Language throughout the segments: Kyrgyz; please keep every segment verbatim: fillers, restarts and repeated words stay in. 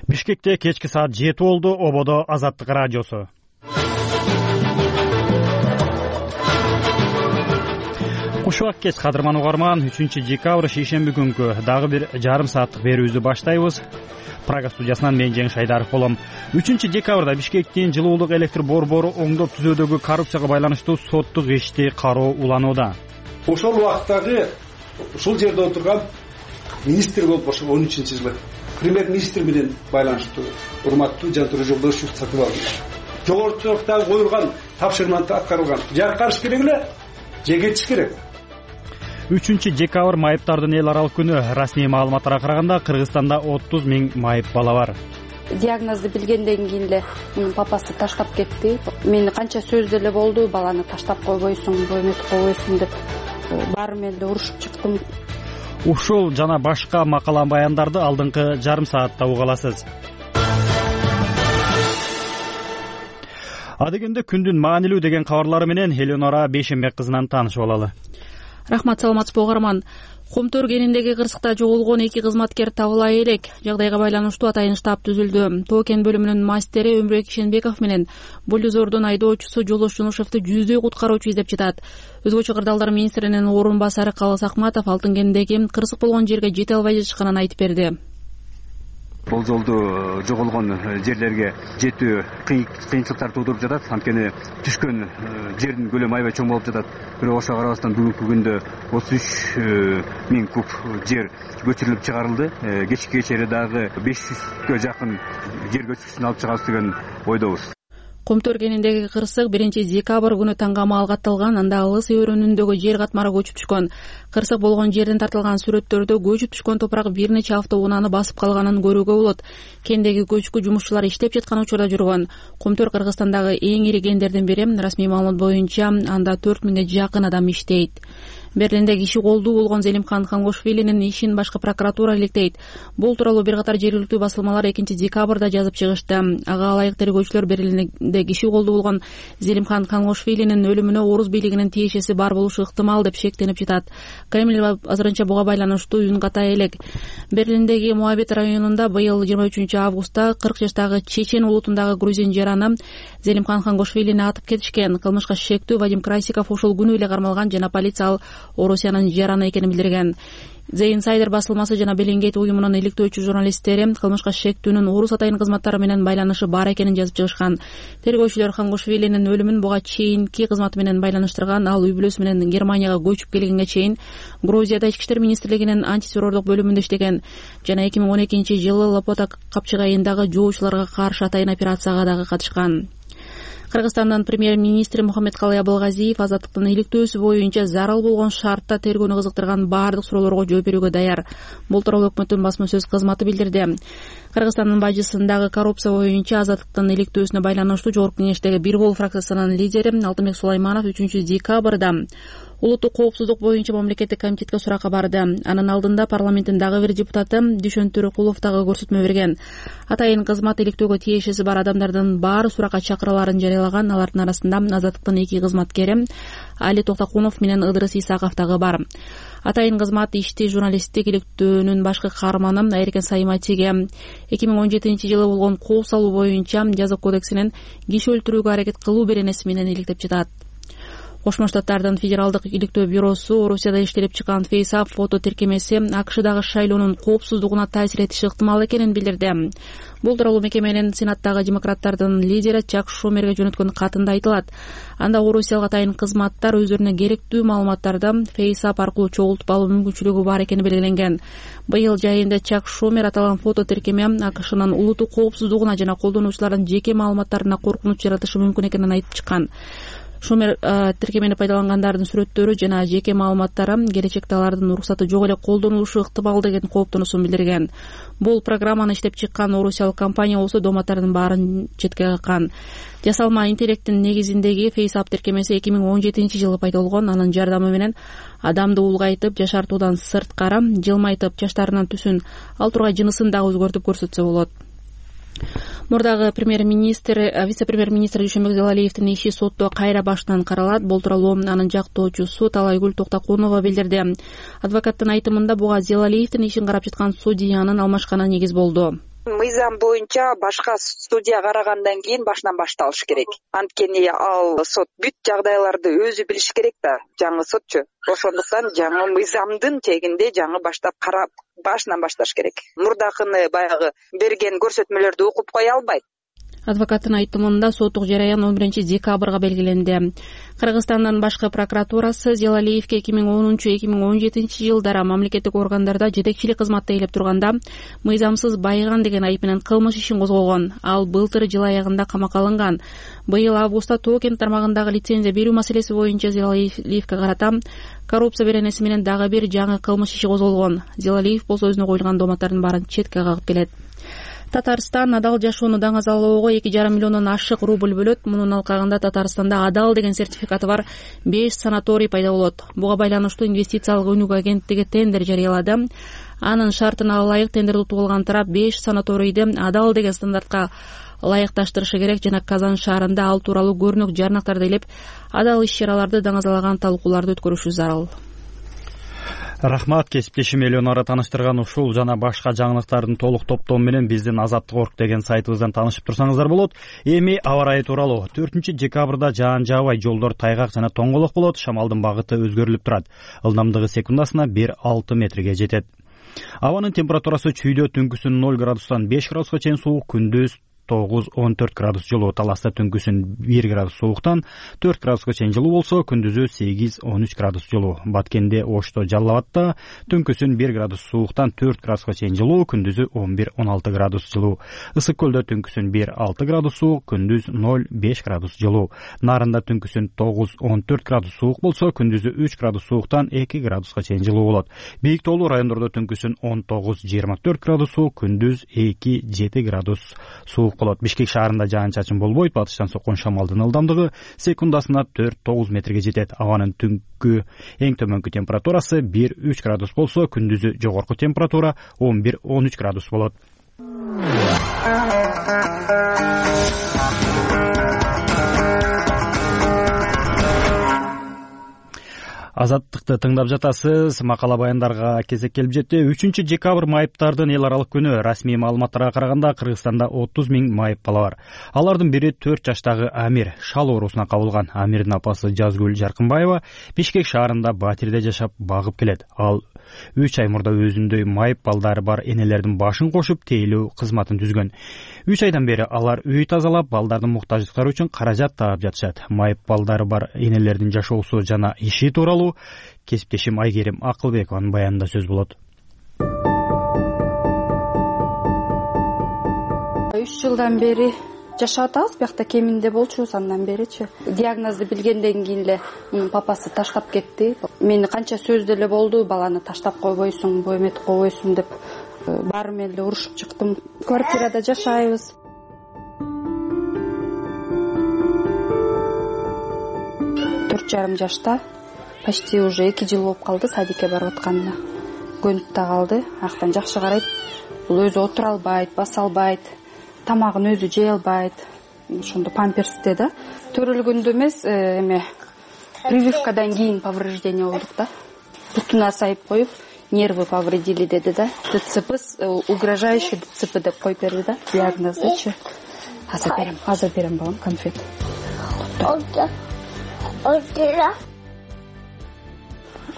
Бишкекте кечки саат жети болду. Ободо Азаттык радиосу. Кушубак кеч кадырман угарман, үчүнчү декабрь шейшемби күнгү дагы бир жарым сааттык берүүбүздү баштайбыз. Прага студиясынан мен Жеңиш Айдаров болом. үчүнчү декабрда Бишкектин жылуулук электр борбору оңдоп түзүүдөгү коррупцияга байланыштуу соттук ишти кароо уланууда. Ошол убактагы ушул жерде отурган министр болуп ошол он үчүнчү жылы премьер-министр менен байланыштуу урматтуу Жантур Жолдошев Сатыбалдиевич жогорутуктагы коюлган тапшырманы аткарылган. Же аткарыш керек эле, же кетиш керек. үчүнчү декабрь майыптардын эл аралык күнү. Расмий маалыматтарга караганда Кыргызстанда отуз миң майып бала бар. Диагнозду билгенден кийин эле менин папасы таштап кетти. Мени канча сөз деле болду, баланы таштап койбойсуң, бойнотуп койбойсуң деп баары менен эле урушуп чыктым. Ушул жана башка макала баяндарды алдыңкы жарым саатта уга аласыз. Адегенде күндүн маанилүү деген кабарлары менен Элеонора Бейшембек кызынан таанышып алалы. Рахмат, саламатсызбы угарман. Кумтөр кениндеги кырсыкта жоголгон эки кызматкер табыла элек. Жагдайга байланыштуу атайын штаб түзүлдү. Тоо кен бөлүмүнүн мастери Өмүрбек Ишенбеков менен бульдозордун айдоочусу Жолдош Жунушевду жүздөй куткаруучу издеп жатат. Өзгөчө кырдаалдар министринин орун басары Калыс Акматов алтын кенидеги кырсык болгон жерге жете албай жатышканын айтып берди. Бул жолду жоголгон жерлерге жетүү кыйынчылыктар туудуруп жатат. Анткени түшкөн жердин көлөмү аябай чоң болуп жатат. Бирок ошого карабастан бүгүнкү күндө отуз үч миң куб жер көчүрүлүп чыгарылды. Кечки кечери дагы беш жүзгө жакын жер көчкүчүн алып чыгабыз деген ойдобуз. Кумтөр кениндеги кырсык биринчи декабрь күнү таңгамал катталган. Анда Алыс өрөөнүндөгү жер катмары көчүп түшкөн. Кырсык болгон жерден тартылган сүрөттөрдө көчүп түшкөн топурак бир нече автоунааны басып калганын көрүүгө болот. Кендеги көчкү жумушчулар иштеп жаткан учурда жүргөн. Кумтөр Кыргызстандагы эң ири кендердин бири. Расмий маалымат боюнча анда төрт миңге жакын адам иштейт. Берлинде киши колдуу болгон Зелимхан Хангошвилинин ишин башкы прокуратура иликтейт. Бул тууралуу бир катар жергиликтүү басылмалар экинчи декабрда жазып чыгышты. Ага ылайык тергөөчүлөр Берлинде киши колдуу болгон Зелимхан Хангошвилинин өлүмүнө орус бийлигинин тиешеси бар болушу ыктымал деп шектенип жатат. Кремль азырынча буга байланыштуу үн ката элек. Берлиндеги Муабит районунда быйыл жыйырма үчүнчү августта кырк жаштагы чечен улутундагы грузин жараны Зелимхан Хангошвилини атып кетишкен. Кылмышка шектүү Вадим Красиков ошол күнү эле кармалган жана полиция ал Орусиянын жараны экенин билдирген. The Insider басылмасы жана Белингейт уюмунун иликтөөчү журналисттери кылмышка шектүүнүн орус атайын кызматтары менен байланышы бар экенин жазып чыгышкан. Тергөөчүлөр Хангошвилинин өлүмүн буга чейинки кызматы менен байланыштырган. Ал үй бүлөсү менен Германияга көчүп келгенге чейин Грузияда ички иштер министрлигинин антитеррордук бөлүмүндө иштеген жана эки миң он экинчи жылы Лопота капчыгайындагы жоочуларга каршы атайын операцияга дагы катышкан. Кыргызстандын премьер-министри Мухаммедкалый Абылгазиев азаттыктын иликтөөсү боюнча зарыл болгон шартта тергөөнү кызыктырган баардык суроолорго жооп берүүгө даяр. Бул тууралуу өкмөттүн басма сөз кызматы билдирди. Кыргызстандын бажысындагы коррупция боюнча азаттыктын иликтөөсүнө байланыштуу Жогорку кеңештеги Бир Кол фракциясынын лидери Алтынбек Сулайманов үчүнчү декабрда улуттук коопсуздук боюнча мамлекеттик комитетке суракка барды. Анын алдында парламенттин дагы бир депутаты Дүйшөн Төрөкулов дагы көрсөтмө берген. Атайын кызмат иликтөөгө тиешеси бар адамдардын баары суракка чакыраларын жарыялаган. Алардын арасында азаттыктын эки кызматкери Али Токтокунов менен Ыдырыс Исаков дагы бар. Атайын кызмат ишти журналисттик иликтөөнүн башкы каарманы Айркен Сайматиге эки миң он жетинчи жылы болгон кол салуу боюнча жаза кодексинин киши өлтүрүүгө аракет кылуу беренеси менен иликтеп жатат. Кошмо Штаттардын федералдык иликтөө бюросу Орусияда иштелип чыккан FaceApp фото тиркемеси АКШдагы шайлоонун коопсуздугуна таасир этиши ыктымал экенин билдирди. Бул тууралуу мекеменин Сенаттагы демократтардын лидери Чак Шумерге жөнөткөн катында айтылат. Анда орусиялык атайын кызматтар өздөрүнө керектүү маалыматтарды FaceApp аркылуу чогултуп алуу мүмкүнчүлүгү бар экени белгиленген. Быйыл жайында Чак Шумер аталган фото тиркеме АКШнын улуттук коопсуздугуна жана колдонуучулардын жеке маалыматтарына коркунуч жаратышы мүмкүн экенин айтып чыккан. Шумер тиркемени пайдалангандардын сүрөттөрү жана жеке маалыматтары келечекте алардын уруксаты жок эле колдонулушу ыктымал деген кооптонуусун билдирген. Бул программаны иштеп чыккан орусиялык компания болсо дооматтардын баарын четке каккан. Жасалма интеллекттин негизиндеги FaceApp тиркемеси эки миң он жетинчи жылы пайда болгон. Анын жардамы менен адамды улгайтып, жашартуудан сырткары жылмайтып, чачтарынын түсүн, ал тургай жынысын дагы өзгөртүп көрсөтсө болот. Мурдагы премьер-министр, вице-премьер-министр Дүйшөнбек Зелалиевдин иши сотто кайра башынан каралат. Бул тууралуу анын жактоочусу Талайгүл Токтокунова билдирди. Адвокаттын айтымында буга Зелалиевдин ишин карап жаткан судьянын алмашканы негиз болду. мыйзам боюнча башка судья карагандан кийин башынан башталыш керек. Анткени ал сот бүт жагдайларды өзү билиш керек да, жаңы сотчу. Ошондуктан жаңы мыйзамдын тегинде жаңы баштап карап башынан башташ керек. Мурдакыны баягы берген көрсөтмөлөрдү окуп кое албайт. Адвокаттын айтымында соттук жараян он биринчи декабрга белгиленди. Кыргызстандын башкы прокуратурасы Зелалиевке эки миң онунчу эки миң он жетинчи жылдары мамлекеттик органдарда жетекчилик кызматта ээлеп турганда мыйзамсыз байыган деген айып менен кылмыш ишин козгогон. Ал былтыр жыл аягында камакка алынган. Быйыл августта Тоокент тармагындагы лицензия берүү маселеси боюнча Зелалиевке карата коррупция беренеси менен дагы бир жаңы кылмыш иши козголгон. Зелалиев болсо өзүнө коюлган дооматтардын баарын четке кагып келет. Татарстан адал жашоону даңазалоого эки жарым миллиондон ашык рубль бөлөт. Мунун алкагында Татарстанда адал деген сертификаты бар беш санаторий пайда болот. Буга байланыштуу инвестициялык өнүгүү агенттиги тендер жарыялады. Анын шартына ылайык тендерди утуп алган тарап беш санаторийди адал деген стандартка ылайыкташтырышы керек жана Казан шаарында ал тууралуу көрүнөк жарнактарды илеп адал иш-чараларды даңазалаган талкууларды өткөрүшү зарыл. Рахмат, кесиптешим Элеонора тааныштырган ушул жана башка жаңылыктардын толук топтому менен биздин Азаттык орг деген сайтыбыздан таанышып турсаңыздар болот. Эми аба ырайы тууралуу. төртүнчү декабрда жаан жаабай, жолдор тайгак жана тоңголок болот. Шамалдын багыты өзгөрүлүп турат. Ылдамдыгы секундасына бир алты метрге жетет. Абанын температурасы чүйдө түнкүсүн ноль градустан беш градуска чейин суук, күндүз тогуз он төрт градус жылуу. Таласта түнкүсүн бир градус сууктан төрт градуска чейин жылуу болсо, күндүзү сегиз он үч градус жылуу. Баткенде, Ошто, Жалал Абадта түнкүсүн бир градус сууктан төрт градуска чейин жылуу, күндүзү он бир он алты градус жылуу. Ысык көлдө түнкүсүн бир алты градус суук, күндүз ноль беш градус жылуу. Нарында түнкүсүн тогуз он төрт градус суук болсо, күндүзү үч градус сууктан эки градуска чейин жылуу болот. Бийик тоолуу райондордо түнкүсүн он тогуз жыйырма төрт градус суук, күндүз эки жети градус суук болот. Бишкек шаарында жаан-чачын болбойт. Батыштан соккон шамалдын ылдамдыгы секундасына төрт тогуз метрге жетет. Абанын түнкү эң төмөнкү температурасы бир үч градус болсо, күндүзү жогорку температура он бир он үч градус болот. Азаттыкты тыңдап жатасыз. Макала баяндарга кезек келип жетти. үчүнчү декабрь майыптардын эл аралык күнү. Расмий маалыматтарга караганда Кыргызстанда отуз миң майып бала бар. Алардын бири төрт жаштагы Амир шал оорусуна кабылган. Амирдин апасы Жазгүл Жаркынбаева Бишкек шаарында батирде жашап багып келет. Ал үч ай мурда өзүндөй майып балдары бар энелердин башын кошуп тейлөө кызматын түзгөн. үч айдан бери алар үй тазалап, балдардын муктаждыктары үчүн каражат таап жатышат. Майып балдары бар энелердин жашоосу жана иши тууралуу кесиптешим Айгерим Акылбекованын баянында сөз болот. үч жылдан бери жашап атабыз, биякта кеминде болчубуз андан беричи. Диагнозду билгенден кийин эле мунун папасы таштап кетти. Мени канча сөз деле болду, баланы таштап койбойсуң, бой эметип койбойсуң деп баары менен эле урушуп чыктым. Квартирада жашайбыз. төрт жарым жашта, почти уже эки жыл болуп калды садикке барып атканына. Көнүп да калды, аяктан жакшы карайт. Бул өзү отура албайт, баса албайт, тамагын өзү жей албайт. Ошондо памперсте да. Төрөлгөндө эмес, эме прививкадан кийин повреждение болдук да. Бутуна сайып коюп, нервы повредили деди да. ДЦП, угрожающий ДЦП деп коюп берди да. Диагноздучу. Азыр берем, азыр берем балам конфет.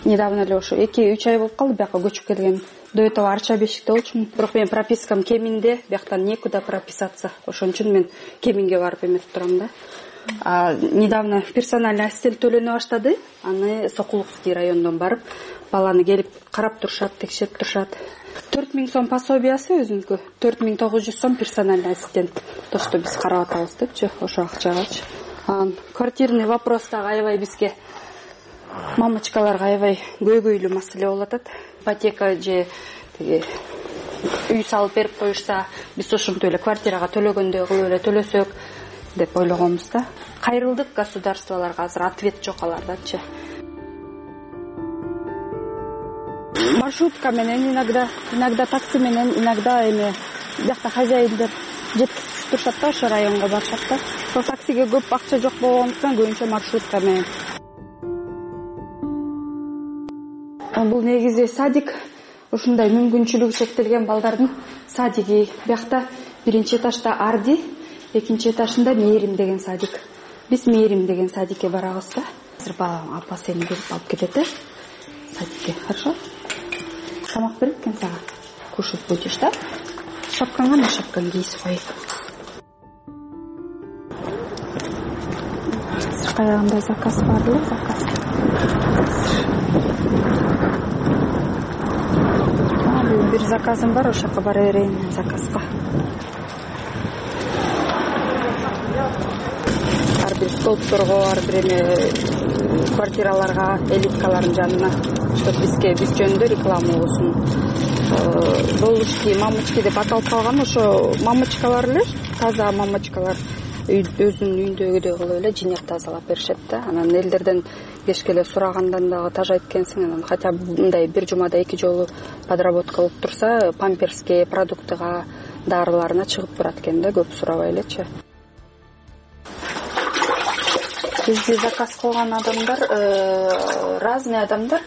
Недавно эле ошо эки үч ай болуп калды бияка көчүп келген. До этого Арча бешикте болчумун. Бирок мен пропискам кеминде, бияктан некуда прописаться. Ошон үчүн мен кеминге барып эметип турам да. А недавно персональный ассистент төлөнө баштады. Аны Сокуловский райондон барып, баланы келип карап турушат, текшерип турушат. төрт миң сом пособиясы өзүнүкү, төрт миң тогуз жүз сом персональный ассистент. То, что биз карап атабыз депчи, ошо акчагачы. Анан квартирный вопростагы аябай бизге мамочкаларга аябай көйгөйлүү маселе болуп атат. Ипотека же тиги үй салып берип коюшса, биз ошентип эле квартирага төлөгөндөй кылып эле төлөсөк деп ойлогонбуз да. Кайрылдык государстволорго, азыр ответ жок алардачы. Маршрутка менен иногда, иногда такси менен, иногда эме бияқта хозяиндер жеткизип турушат да, ошо районго барышат да. Сол таксиге көп акча жок болгондуктан көбүнчө маршрутка менен. Бул негизи садик ушундай мүмкүнчүлүгү чектелген балдардын садиги. Биякта биринчи этажда Арди, экинчи этажында Мээрим деген садик. Биз Мээрим деген садикке барабыз да. Азыр балам апасы сени келип алып кетет э садикке. Хорошо? Тамак берет экен сага. Кушать будешь, да? Шапкаңа на шапкаңды кийип коеюн. Каягында заказ бар эле, заказ. Бир заказым бар, ошол жака бара берейин заказга. Ар бир столбторго, ар бир эме квартираларга, элиткалардын жанына, чтоб бизге биз жөнүндө реклама болсун. Болушки, мамочки деп аталып калган ошо мамочкалар эле, таза мамочкалар. Өзүнүн үйүндөгүдөй кылып эле жинеп тазалап беришет да. Анан элдерден кечке сурагандан дагы тажайт экенсиң. Анан хотя бы мындай бир жумада эки жолу подработка болуп турса, памперске, продуктыга, дарыларына чыгып турат экен да, көп сурабай элечи. Бизди заказ кылган адамдар разный адамдар,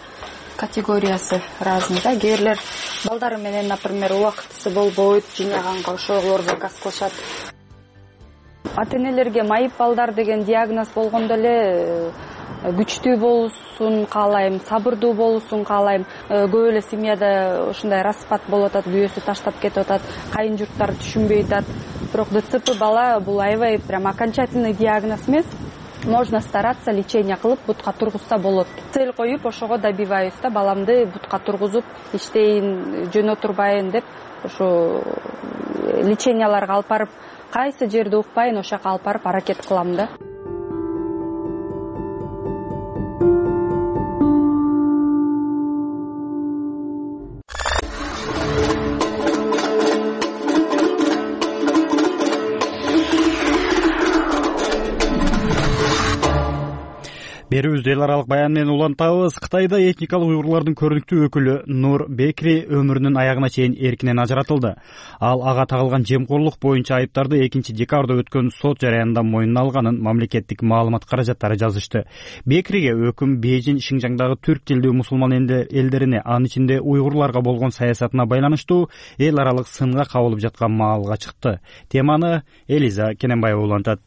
категориясы разный да. Кээ бирлер балдары менен, например, убактысы болбойт, жыйнаганга ошолор заказ кылышат. Ата-энелерге майып балдар деген диагноз болгондо эле күчтүү болушун каалайм, сабырдуу болушун каалайм. Көп эле семьяда ушундай распад болуп атат, күйөөсү таштап кетип атат, кайын журттар түшүнбөй атат. Бирок ДЦП бала бул аябай прям окончательный диагноз эмес. Можно стараться, лечение кылып бутка тургузса болот. Цель коюп ошого добиваюсь да, баламды бутка тургузуп иштейин, жөн отурбайын деп ошо леченияларга алып барып, кайсы жерди укпайын ошол жака алып барып аракет кылам да. Берүүбүздү эл аралык баян менен улантабыз. Кытайда этникалык уйгурлардын көрүнүктүү өкүлү Нур Бекри өмүрүнүн аягына чейин эркинен ажыратылды. Ал ага тагылган жемкорлук боюнча айыптарды экинчи декабрда өткөн сот жараянында мойнуна алганын мамлекеттик маалымат каражаттары жазышты. Бекриге өкүм Бейжин Шинжаңдагы түрк тилдүү мусулман элдерине, анын ичинде уйгурларга болгон саясатына байланыштуу эл аралык сынга кабылып жаткан маалга чыкты. Теманы Элиза Кененбаева улантат.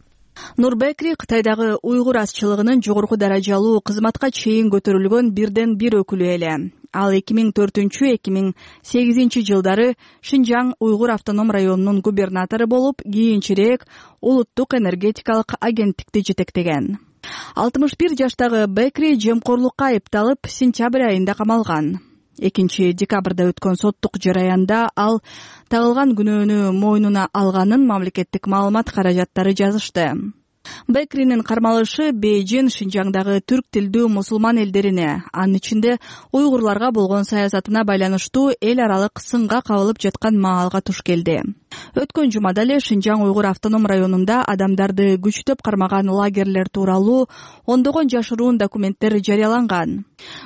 Нур Бекри Кытайдагы уйгур азчылыгынын жогорку даражалуу кызматка чейин көтөрүлгөн бирден бир өкүлү эле. Ал эки миң төртүнчү эки миң сегизинчи жылдары Шинжаң уйгур автоном районунун губернатору болуп, кийинчерээк улуттук энергетикалык агенттикти жетектеген. алтымыш бир жаштагы Бекри жемкорлукка айыпталып, сентябрь айында камалган. экинчи декабрда өткөн соттук жараянда ал тагылган күнөөнү мойнуна алганын мамлекеттик маалымат каражаттары жазышты. Бекринин кармалышы Бейжин Шинжаңдагы түрк тилдүү мусулман элдерине, анын ичинде уйгурларга болгон саясатына байланыштуу эл аралык сынга кабылып жаткан маалга туш келди. Өткөн жумада эле Шинжаң уйгур автоном районунда адамдарды күчтөп кармаган лагерлер тууралуу ондогон жашыруун документтер жарыяланган.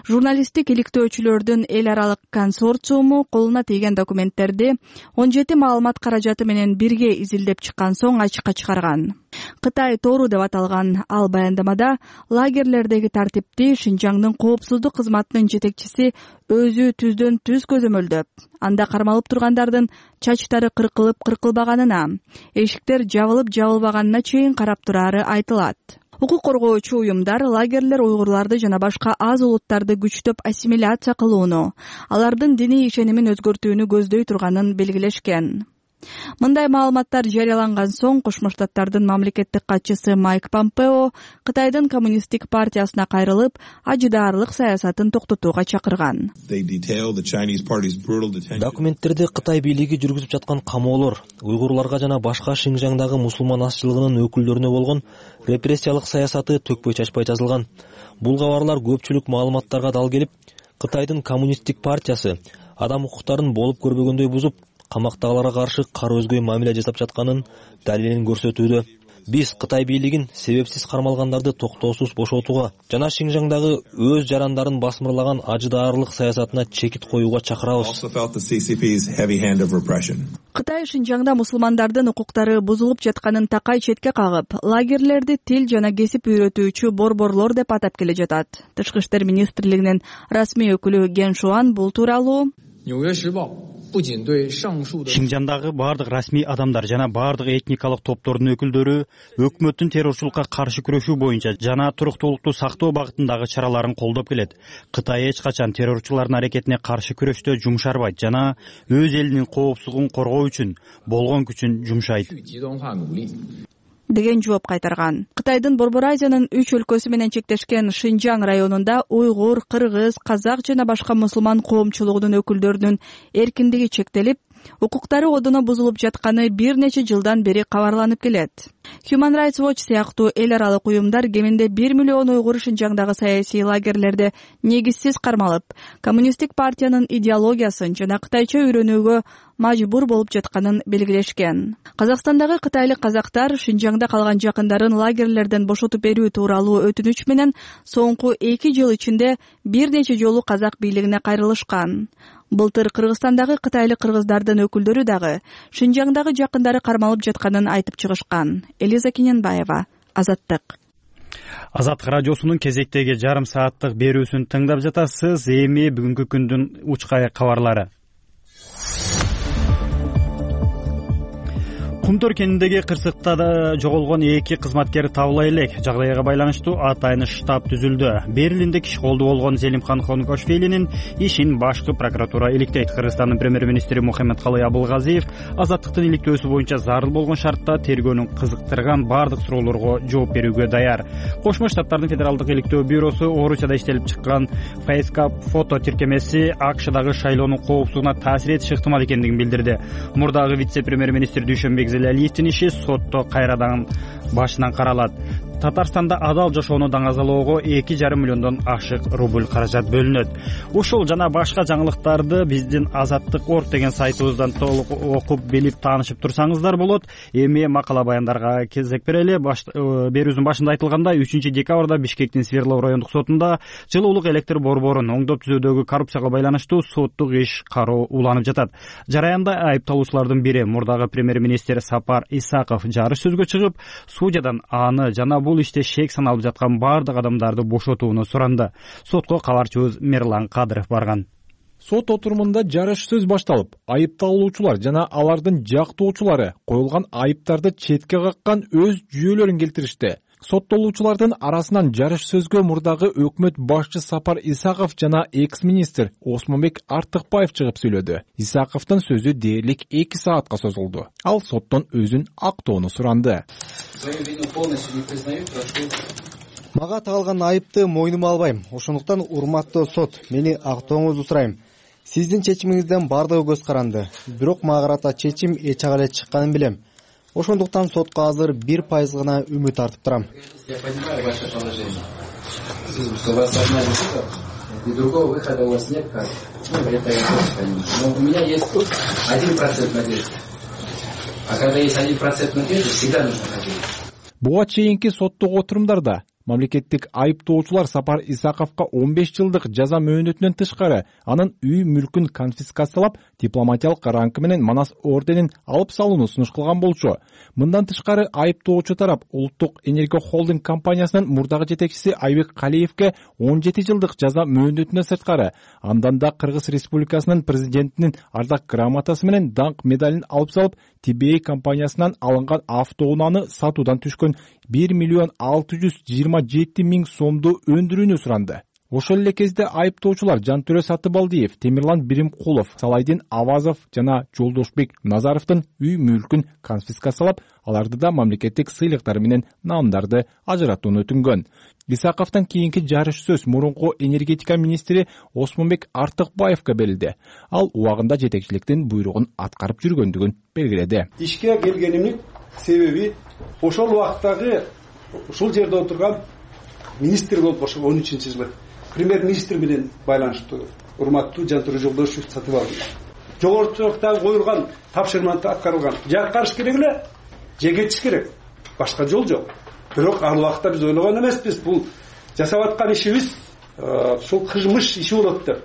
Журналисттик иликтөөчүлөрдүн эл аралык консорциуму колуна тийген документтерди он жети маалымат каражаты менен бирге изилдеп чыккан соң ачыкка чыгарган. Кытай тору деп аталган ал баяндамада лагерлердеги тартипти Шинжаңдын коопсуздук кызматынын жетекчиси өзү түздөн түз көзөмөлдөп, анда кармалып тургандардын чачтары кыркылып кыркылбаганына, эшиктер жабылып жабылбаганына чейин карап турары айтылат. Укук коргоочу уюмдар лагерлер уйгурларды жана башка аз улуттарды күчтөп ассимиляция кылууну, алардын диний ишенимин өзгөртүүнү көздөй турганын белгилешкен. Мындай маалыматтар жарыяланган соң Кошмо Штаттардын мамлекеттик катчысы Майк Помпео Кытайдын коммунисттик партиясына кайрылып, ажыдаарлык саясатын токтотууга чакырган. Документтерде Кытай бийлиги жүргүзүп жаткан камоолор, уйгурларга жана башка Шинжаңдагы мусулман азчылыгынын өкүлдөрүнө болгон репрессиялык саясаты төкпөй чачпай жазылган. Бул кабарлар көпчүлүк маалыматтарга дал келип, Кытайдын коммунисттик партиясы адам укуктарын болуп көрбөгөндөй бузуп, камактагыларга каршы кара өзгөй мамиле жасап жатканын далилин көрсөтүүдө. Биз Кытай бийлигин себепсиз кармалгандарды токтоосуз бошотууга жана Шинжаңдагы өз жарандарын басмырлаган ажыдаарлык саясатына чекит коюуга чакырабыз. Кытай Шинжаңда мусулмандардын укуктары бузулуп жатканын такай четке кагып, лагерлерди тил жана кесип үйрөтүүчү борборлор деп атап келе жатат. Тышкы иштер министрлигинин расмий өкүлү Ген Шуан бул тууралуу Шинжандагы бардык расмий адамдар жана бардык этникалык топтордун өкүлдөрү өкмөттүн террорчулукка каршы күрөшүү боюнча жана туруктуулукту сактоо багытындагы чараларын колдоп келет. Кытай эч качан террорчулардын аракетине каршы күрөштө жумшарбайт жана өз элинин коопсуздугун коргоо үчүн болгон күчүн жумшайт деген жооп кайтарган. Кытайдын Борбор Азиянын үч өлкөсү менен чектешкен Шинжаң районунда уйгур, кыргыз, казак жана башка мусулман коомчулугунун өкүлдөрүнүн эркиндиги чектелип, укуктары одоно бузулуп жатканы бир нече жылдан бери кабарланып келет. Human Rights Watch сыяктуу эл аралык уюмдар кеминде бир миллион уйгур Шинжаңдагы саясий лагерлерде негизсиз кармалып, коммунисттик партиянын идеологиясын жана кытайча үйрөнүүгө мажбур болуп жатканын белгилешкен. Казакстандагы кытайлык казактар Шинжаңда калган жакындарын лагерлерден бошотуп берүү тууралуу өтүнүч менен соңку эки жыл ичинде бир нече жолу казак бийлигине кайрылышкан. Былтыр Кыргызстандагы кытайлык кыргыздардын өкүлдөрү дагы Шинжаңдагы жакындары кармалып жатканын айтып чыгышкан. Элиза Кененбаева, Азаттык. Азаттык радиосунун кезектеги жарым сааттык берүүсүн тыңдап жатасыз. Эми бүгүнкү күндүн учкай кабарлары. Кумтөр кенидеги кырсыкта да жоголгон эки кызматкер табыла элек. Жагдайга байланыштуу атайын штаб түзүлдү. Берлинде киши колду болгон Зелимхан Хонкошвилинин ишин башкы прокуратура иликтейт. Кыргызстандын премьер-министри Мухаммедкалый Абылгазиев Азаттыктын иликтөөсү боюнча зарыл болгон шартта тергөөнүн кызыктырган бардык суроолорго жооп берүүгө даяр. Кошмо Штаттардын федералдык иликтөө бюросу Орусияда иштелип чыккан Фейскап фото тиркемеси АКШдагы шайлоонун коопсуздугуна таасир этиши ыктымал экендигин билдирди. Мурдагы вице-премьер-министр Дүйшөнбек Зелалиевдин иши сотто кайрадан башынан каралат. Татарстанда адал жашоону даңазалоого эки жарым миллиондон ашык рубль каражат бөлүнөт. Ушул жана башка жаңылыктарды биздин Азаттык орг деген сайтыбыздан толук окуп билип таанышып турсаңыздар болот. Эми макала баяндарга кезек берели. Берүүбүздүн башында айтылгандай, үчүнчү декабрда Бишкектин Свердлов райондук сотунда жылуулук электр борборун оңдоп түзүүдөгү коррупцияга байланыштуу соттук иш кароо уланып жатат. Жараянда айыпталуучулардын бири мурдагы премьер-министр Сапар Исаков жарыш сөзгө чыгып, судьядан аны жана бул иште шек саналып жаткан бардык адамдарды бошотууну суранды. Сотко кабарчыбыз Мерлан Кадыров барган. Сот отурумунда жарыш сөз башталып, айыпталуучулар жана алардын жактоочулары коюлган айыптарды четке каккан өз жүйөлөрүн келтиришти. Соттолуучулардын арасынан жарыш сөзгө мурдагы өкмөт башчы Сапар Исаков жана экс-министр Осмонбек Артыкбаев чыгып сүйлөдү. Исаковдун сөзү дээрлик эки саатка созулду. Ал соттон өзүн актоону суранды. Мага тагылган айыпты мойнума албайм. Ошондуктан урматтуу сот, мени актооңузду сурайм. Сиздин чечимиңизден бардыгы көз каранды. Бирок мага карата чечим эч ак эле чыкканын билем. Ошондуктан сотко азыр бир пайыз гана үмүт артып турам. Я понимаю ваше положение. Что вас одна и другого выхода у вас нет, как? Ну, это я тоже понимаю. Но у меня есть тут один процент надежды. А когда есть один процент надежды, всегда нужно надеяться. Буга чейинки соттук отурумдарда мамлекеттик айыптоочулар Сапар Исаковго он беш жылдык жаза мөөнөтүнөн тышкары анын үй мүлкүн конфискациялап, дипломатиялык ранкы менен Манас орденин алып салууну сунуш кылган болчу. Мындан тышкары айыптоочу тарап Улуттук энергия холдинг компаниясынын мурдагы жетекчиси Айбек Калиевге он жети жылдык жаза мөөнөтүнөн сырткары андан да Кыргыз Республикасынын президентинин ардак грамотасы менен даңк медалин алып салып, Ти Би Эй компаниясынан алынган автоунааны сатуудан түшкөн бир миллион алты жүз жыйырма жети миң сомду өндүрүүнү суранды. Ошол эле кезде айыптоочулар Жантөрө Сатыбалдиев, Темирлан Биримкулов, Салайдин Авазов жана Жолдошбек Назаровдун үй мүлкүн конфискациялап, аларды да мамлекеттик сыйлыктар менен наамдарды ажыратууну өтүнгөн. Исаковдон кийинки жарыш сөз мурунку энергетика министри Осмонбек Артыкбаевге берилди. Ал убагында жетекчиликтин буйругун аткарып жүргөндүгүн белгиледи. Ишке келгенимдин себеби ошол убактагы ушул жерде отурган министр болуп ошо он үчүнчү жылы премьер-министр менен байланыштуу урматтуу Жантөрө Жолдошев Сатыбалдиев. Жогорку сотто коюлган тапшырманы аткарылган. Же аткарыш керек эле, же кетиш керек. Башка жол жок. Бирок ал убакта биз ойлогон эмеспиз, бул жасап аткан ишибиз ушул кылмыш иши болот деп.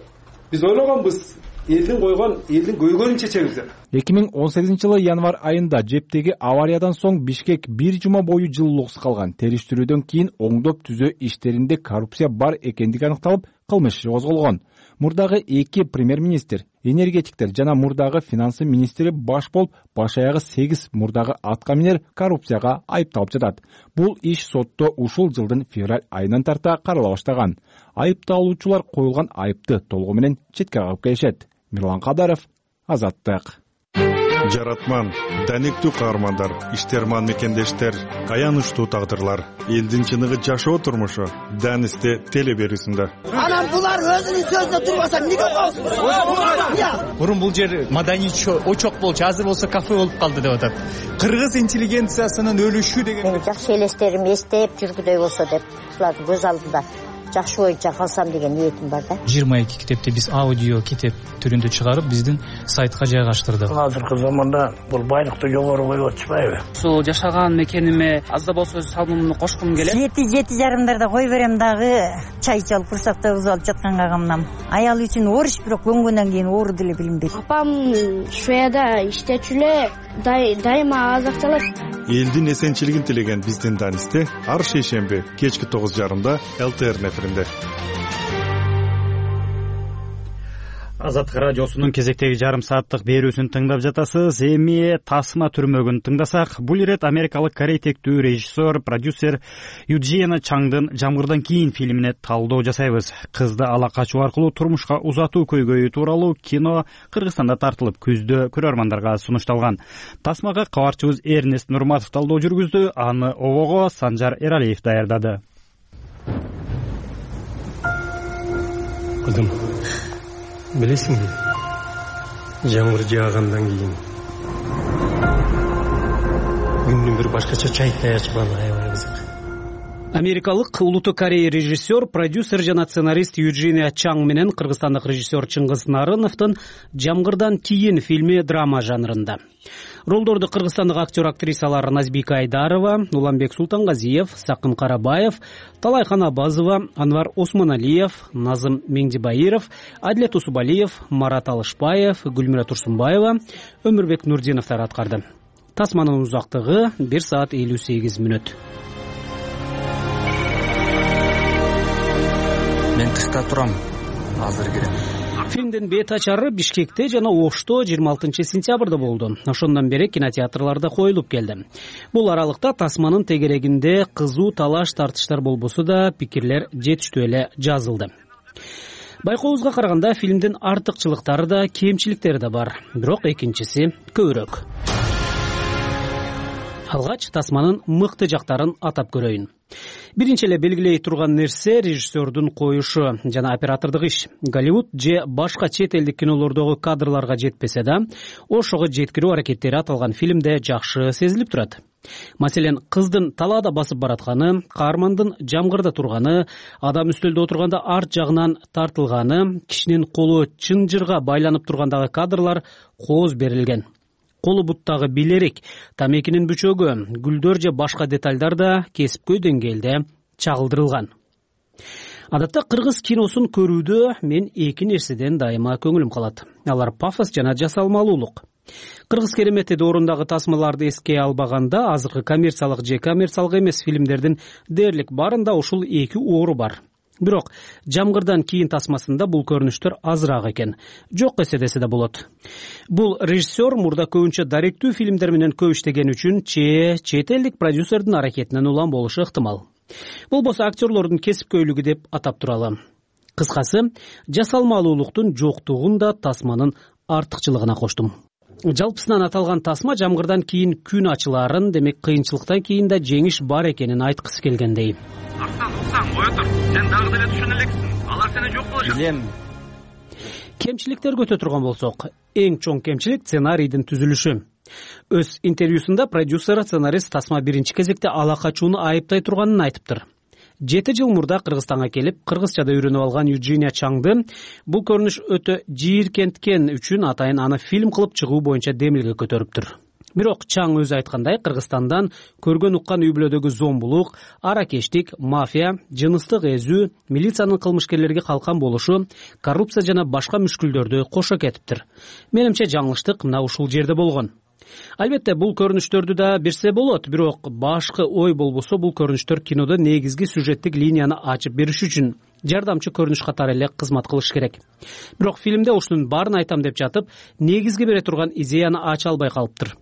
Биз ойлогонбуз, элдин койгон, элдин көйгөйүн чечебиз деп. эки миң он сегизинчи жылы январь айында жептеги авариядан соң Бишкек бир жума бою жылуулуксуз калган. Териштирүүдөн кийин оңдоп түзөө иштеринде коррупция бар экендиги аныкталып, кылмыш иши козголгон. мурдагы эки премьер-министр, энергетиктер жана мурдагы финансы министри баш болуп, баш аягы сегиз мурдагы аткаминер коррупцияга айыпталып жатат. Бул иш сотто ушул жылдын февраль айынан тарта карала баштаган. Айыпталуучулар коюлган айыпты толугу менен четке кагып келишет. Мирлан Кадаров, Азаттык. Жаратман, даниктүү каармандар, иштерман мекендештер, аянычтуу тагдырлар, элдин чыныгы жашоо турмушу Данисте теле берүүсүндө. Анан булар өзүнүн сөзүнө турбаса эмнеге коесуң? Мурун бул жер маданий очок болчу, азыр болсо кафе болуп калды деп атат. Кыргыз интеллигенциясынын өлүшү деген. Мени жакшы элестерим эстеп жүргүдөй болсо деп, ушулардын көз алдында жакшы боюнча калсам деген ниетим бар да. жыйырма эки китепти биз аудио китеп түрүндө чыгарып, биздин сайтка жайгаштырдык. Азыркы заманда бул байлыкты жогору коюп атышпайбы? Ушул жашаган мекениме аз да болсо өз салымымды кошкум келет. Жети жети жарымдарда кой берем дагы, чай чалып курсакта кызып алып жатканга камнам. Аял үчүн ориш, бирок көнгөндөн кийин оору деле билинбейт. Апам Швецияда иштечү эле, дайыма азак чалат. Элдин эсенчилигин тилеген биздин Данисте ар шейшемби кечки тогуз жарымда эл тэ эр эфиринде. Азаттык радиосунун кезектеги жарым сааттык берүүсүн тыңдап жатасыз. Эми Тасма түрмөгүн тыңдасак, бул ирет америкалык корейтектүү режиссер, продюсер Юджина Чаңдын Жамгырдан кийин фильмине талдоо жасайбыз. Кызды ала качуу аркылуу турмушка узатуу көйгөйү тууралуу кино Кыргызстанда тартылып, күздө көрөрмандарга сунушталган. Тасмага кабарчыбыз Эрнест Нурматов талдоо жүргүздү, аны обого Санжар Эралиев даярдады. Кызым, билесиңби, жамгыр жаагандан кийин күндүн бир башкача чайтай ачпаны аябай кызык. Америкалык улуттуу Корея режиссер, продюсер жана сценарист Юджина Чаң менен кыргызстандык режиссер Чыңгыз Нарыновдун Жамгырдан кийин фильми драма жанрында. Ролдорду кыргызстандык актер актрисалар Назбика Айдарова, Уланбек Султангазиев, Сакым Карабаев, Талайхан Абазова, Анвар Осмоналиев, Назым Меңдибайыров, Адлет Усубалиев, Марат Алышбаев, Гүлмира Турсунбаева, Өмүрбек Нурдиновдор аткарды. Тасманын узактыгы бир саат элүү сегиз мүнөт. Мен тышта турам, азыр кирем. Фильмдин бет ачары Бишкекте жана Ошто жыйырма алтынчы сентябрда болду. Ошондон бери кинотеатрларда коюлуп келди. Бул аралыкта Тасманын тегерегинде кызуу талаш тартыштар болбосо да пикирлер жетиштүү эле жазылды. Байкообузга караганда фильмдин артыкчылыктары да, кемчиликтери да бар, бирок экинчиси көбүрөөк. Алгач Тасманын мыкты жактарын атап көрөйүн. Биринчи эле белгилей турган нерсе режиссердун коюшу жана оператордук иш. Голливуд же башка чет элдик кинолордогу кадрларга жетпесе да, ошого жеткирүү аракеттери аталган фильмде жакшы сезилип турат. Маселен, кыздын талаада басып баратканы, каармандын жамгырда турганы, адам үстөлдө отурганда арт жагынан тартылганы, кишинин колу чынжырга байланып тургандагы кадрлар кооз берилген. Колу буттагы билерик, тамекинин бүчөгү, гүлдөр же башка детальдар да кесипкөй деңгээлде чагылдырылган. Адатта кыргыз киносун көрүүдө мен эки нерседен дайыма көңүлүм калат. Алар пафос жана жасалмалуулук. Кыргыз керемети доорундагы тасмаларды эске албаганда, азыркы коммерциялык же коммерциялык эмес фильмдердин дээрлик баарында ушул эки оору бар. Бирок Жамгырдан кийин тасмасында бул көрүнүштөр азыраак экен. Жок эсе десе да болот. Бул режиссер мурда көбүнчө даректүү фильмдер менен көп иштеген үчүн че чет элдик продюсердин аракетинен улам болушу ыктымал. Болбосо актерлордун кесипкөйлүгү деп атап туралы. Кыскасы, жасалмалуулуктун жоктугун да Тасманын артыкчылыгына коштум. Жалпысынан аталган Тасма Жамгырдан кийин күн ачыларын, демек кыйынчылыктан кийин да жеңиш бар экенин айткысы келгендей. Арсан, Арсан, ой отур. Сен дагы деле түшүнө элексиң. Алар сени жок кылышат. Билем. Кемчиликтерге өтө турган болсок, эң чоң кемчилик сценарийдин түзүлүшү. Өз интервьюсунда продюсер, сценарист Тасма биринчи кезекте ала качууну айыптай турганын айтыптыр. Жети жыл мурда Кыргызстанга келип, кыргызчада үйрөнүп алган Юджина Чаңды бул көрүнүш өтө жийиркенткен үчүн атайын аны фильм кылып чыгуу боюнча демилге көтөрүптүр. Бирок Чаң өзү айткандай, Кыргызстандан көргөн уккан үй бүлөдөгү зомбулук, аракештик, мафия, жыныстык эзүү, милициянын кылмышкерлерге калкан болушу, коррупция жана башка мүшкүлдөрдү кошо кетиптир. Менимче жаңылыштык мына ушул жерде болгон. Албетте бул көрүнүштөрдү да берсе болот, бирок башкы ой болбосо бул көрүнүштөр кинодо негизги сюжеттик линияны ачып бериш үчүн жардамчы көрүнүш катары эле кызмат кылыш керек. Бирок фильмде ушунун баарын айтам деп жатып, негизги бере турган идеяны ача албай калыптыр.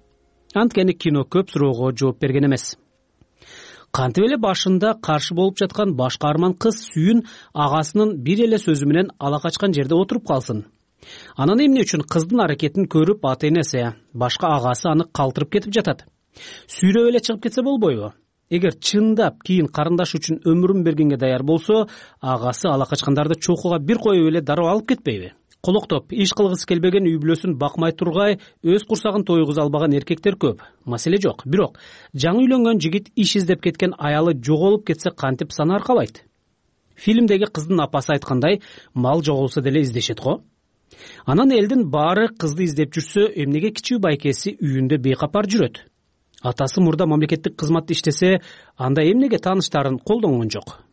Анткени кино көп суроого жооп берген эмес. Кантип эле башында каршы болуп жаткан баш каарман кыз Сүйүн агасынын бир эле сөзү менен ала качкан жерде отуруп калсын? Анан эмне үчүн кыздын аракетин көрүп ата энеси, башка агасы аны калтырып кетип жатат? Сүйрөп эле чыгып кетсе болбойбу? Эгер чындап кийин карындаш үчүн өмүрүн бергенге даяр болсо, агасы ала качкандарды чокуга бир коюп эле дароо алып кетпейби? Колоктоп, иш кылгысы келбеген үй бүлөсүн бакмай тургай, өз курсагын тойгуза албаган эркектер көп. Маселе жок. Бирок жаңы үйлөнгөн жигит иш издеп кеткен аялы жоголуп кетсе кантип саны аркабайт? Фильмдеги кыздын апасы айткандай, мал жоголсо деле издешет го. Анан элдин баары кызды издеп жүрсө, эмнеге кичүү байкеси үйүндө бейкапар жүрөт? Атасы мурда мамлекеттик кызматта иштесе, анда эмнеге тааныштарын колдонгон жок?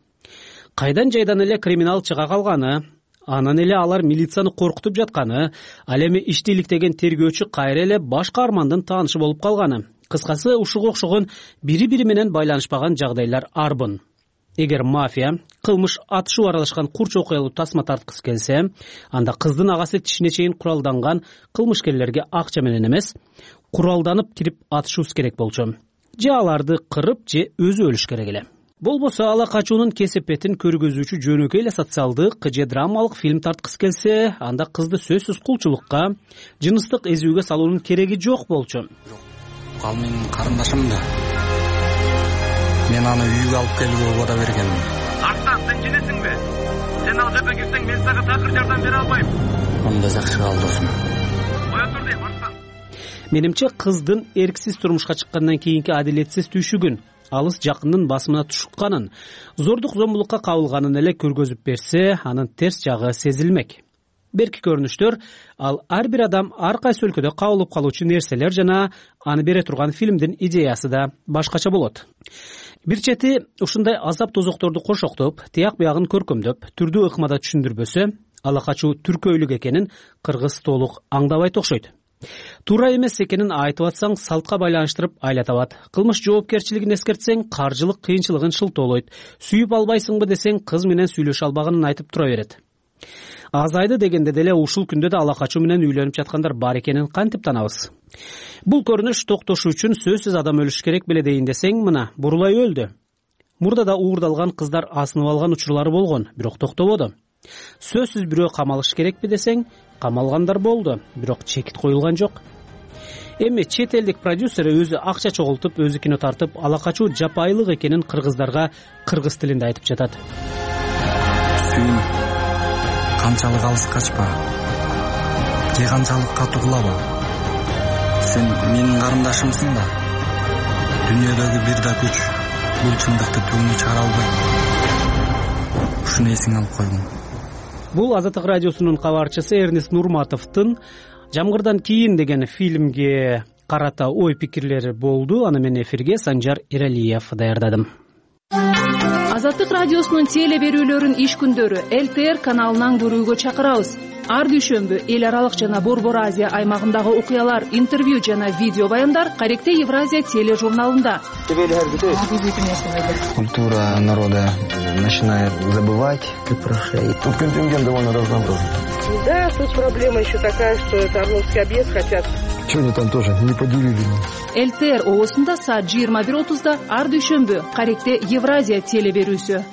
Кайдан жайдан эле криминал чыга калганы, анан эле алар милицияны коркутуп жатканы, ал эми ишти иликтеген тергөөчү кайра эле баш каармандын таанышы болуп калганы. Кыскасы, ушуга окшогон бири-бири менен байланышпаган жагдайлар арбын. Эгер мафия кылмыш атышуу аралашкан курч окуялуу тасма тарткысы келсе, анда кыздын агасы тишине чейин куралданган кылмышкерлерге акча менен эмес, куралданып кирип атышуусу керек болчу. Же аларды кырып, же өзү өлүш керек эле. Болбосо ала качуунун кесепетин көргөзүүчү жөнөкөй эле социалдык же драмалык фильм тарткысы келсе, анда кызды сөзсүз кулчулукка, жыныстык эзүүгө салуунун кереги жок болчу. Ал менин карындашым да. Мен аны үйгө алып келүүгө убада бергенмин. Артан, сен жинесиңби? Сен ал жерге кирсең, мен сага такыр жардам бере албайм. Анда жакшы кал досум. Кое тур дейм, Артан. Менимче кыздын эрксиз турмушка чыккандан кийинки адилетсиз түйшүгүн, алыс жакындын басымына тушукканын, зордук зомбулукка кабылганын эле көргөзүп берсе, анын терс жагы сезилмек. Берки көрүнүштөр ал ар бир адам ар кайсы өлкөдө кабылып калуучу нерселер жана аны бере турган фильмдин идеясы да башкача болот. Бир чети ушундай азап тозокторду кошоктоп, тияк биягын көркөмдөп, түрдүү ыкмада түшүндүрбөсө, ала качуу түркөйлүк экенин кыргыз толук аңдабайт окшойт. Туура эмес экенин айтып атсаң, салтка байланыштырып айла табат. Кылмыш жоопкерчилигин эскертсең, каржылык кыйынчылыгын шылтоолойт. Сүйүп албайсыңбы десең, кыз менен сүйлөшө албаганын айтып тура берет. Азайды дегенде деле ушул күндө да ала качуу менен үйлөнүп жаткандар бар экенин кантип танабыз? Бул көрүнүш токтошу үчүн сөзсүз адам өлүш керек беле дейин десең, мына Бурулай өлдү. Мурда да уурдалган кыздар асынып алган учурлары болгон, бирок токтободу. Сөзсүз бирөө камалыш керекпи десең, камалгандар болду, бирок чекит коюлган жок. Эми чет элдик продюсер өзү акча чогултуп, өзү кино тартып, ала качуу жапайылык экенин кыргыздарга кыргыз тилинде айтып жатат. Сүйүн, канчалык алыс качпа, же канчалык катуу кылаба. Сен менин карындашымсың да. Дүйнөдөгү бир да күч бул чындыкты түбүнө чыгара албайт. Ушуну эсиңе алып койгун. Бул Азаттык радиосунун кабарчысы Эрнест Нурматовдун «Жамгырдан кийин» деген фильмге карата ой пикирлери болду. Аны мен эфирге Санжар Иралиев даярдадым. Азаттык радиосунун теле берүүлөрүн иш күндөрү эл тэ эр каналынан көрүүгө чакырабыз. Ар дүйшөмбү эл аралык жана Борбор Азия аймагындагы окуялар, интервью жана видео баяндар Каректе Евразия тележурналында. Культура народа начинает забывать, как прошли. Тут контингент довольно разнообразный. Да, тут проблема еще такая, что это Орловский объезд хотят. Сегодня там тоже не поделили. эл тэ эр оосунда саат жыйырма бир отузда ар дүйшөмбү Каректе Евразия теле берүүсү.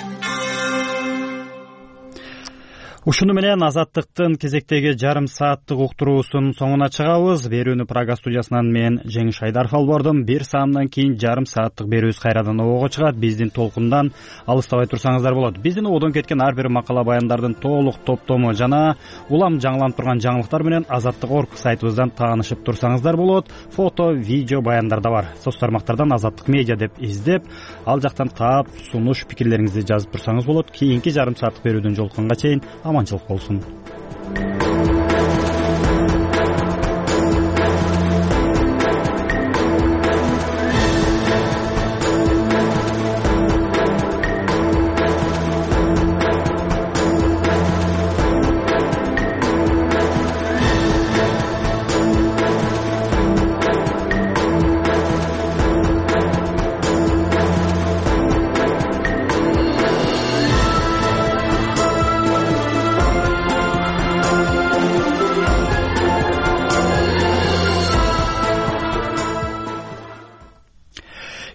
Ушуну менен Азаттыктын кезектеги жарым сааттык уктуруусунун соңуна чыгабыз. Берүүнү Прага студиясынан мен Жеңиш Айдаров алып бардым. Бир саамдан кийин жарым сааттык берүүбүз кайрадан обого чыгат. Биздин толкундан алыстабай турсаңыздар болот. Биздин ободон кеткен ар бир макала баяндардын толук топтому жана улам жаңыланып турган жаңылыктар менен Азаттык точка орг сайтыбыздан таанышып турсаңыздар болот. Фото, видео баяндар да бар. Соц тармактардан Азаттык медиа деп издеп, ал жактан таап, сунуш, пикирлериңизди жазып турсаңыз болот. Кийинки жарым сааттык берүүдөн жолукканга чейин аманчылык болсун.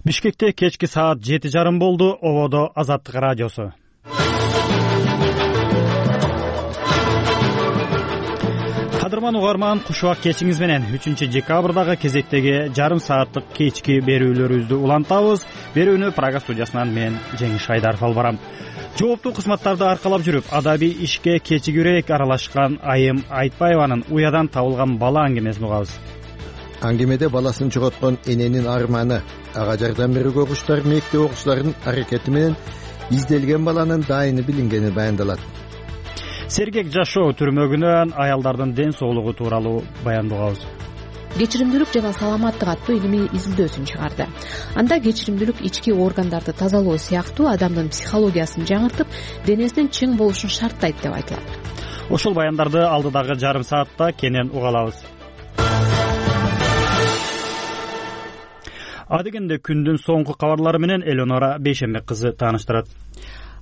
Бишкекте кечки саат жети жарым болду. Ободо Азаттык радиосу. Кадырман угарман, куш убак кечиңиз менен үчүнчү декабрдагы кезектеги жарым сааттык кечки берүүлөрүбүздү улантабыз. Берүүнү Прага студиясынан мен Жеңиш Айдаров алып барам. Жооптуу кызматтарды аркалап жүрүп, адабий ишке кечигирээк аралашкан Айым Айтбаеванын уядан табылган бала аңгемесин угабыз. Аңгемеде баласын жоготкон эненин арманы, ага жардам берүүгө куштар мектеп окуучуларынын аракети менен изделген баланын дайыны билингени баяндалат. Сергек жашоо түрмөгүнөн аялдардын ден соолугу тууралуу баяндообуз. Кечиримдүүлүк жана саламаттык аттуу илимий изилдөөсүн чыгарды. Анда кечиримдүүлүк ички органдарды тазалоо сыяктуу адамдын психологиясын жаңыртып, денесинин чың болушун шарттайт деп айтылат. Ошол баяндарды алдыдагы жарым саатта кенен уга алабыз. Адегенде күндүн соңку кабарлары менен Элеонора Бейшенбек кызы тааныштырат.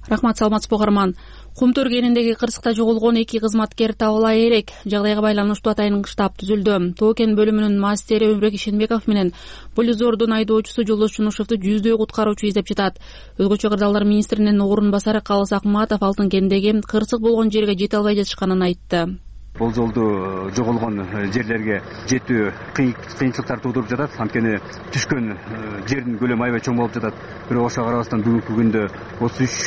Рахмат, саламатсызбы угарман. Кумтөр кениндеги кырсыкта жоголгон эки кызматкер табыла элек. Жагдайга байланыштуу атайын штаб түзүлдү. Тоо кен бөлүмүнүн мастери Өмүрбек Ишенбеков менен Полизордун айдоочусу Жолдош Чунушевду жүздөй куткаруучу издеп жатат. Өзгөчө кырдаалдар министринин орун басары Калыс Акматов Алтын кендеги кырсык болгон жерге жете албай жатышканын айтты. Бул жолду жоголгон жерлерге жетүү кыйынчылыктар туудуруп жатат. Анткени түшкөн жердин көлөмү аябай чоң болуп жатат. Бирок ошого карабастан бүгүнкү күндө отуз үч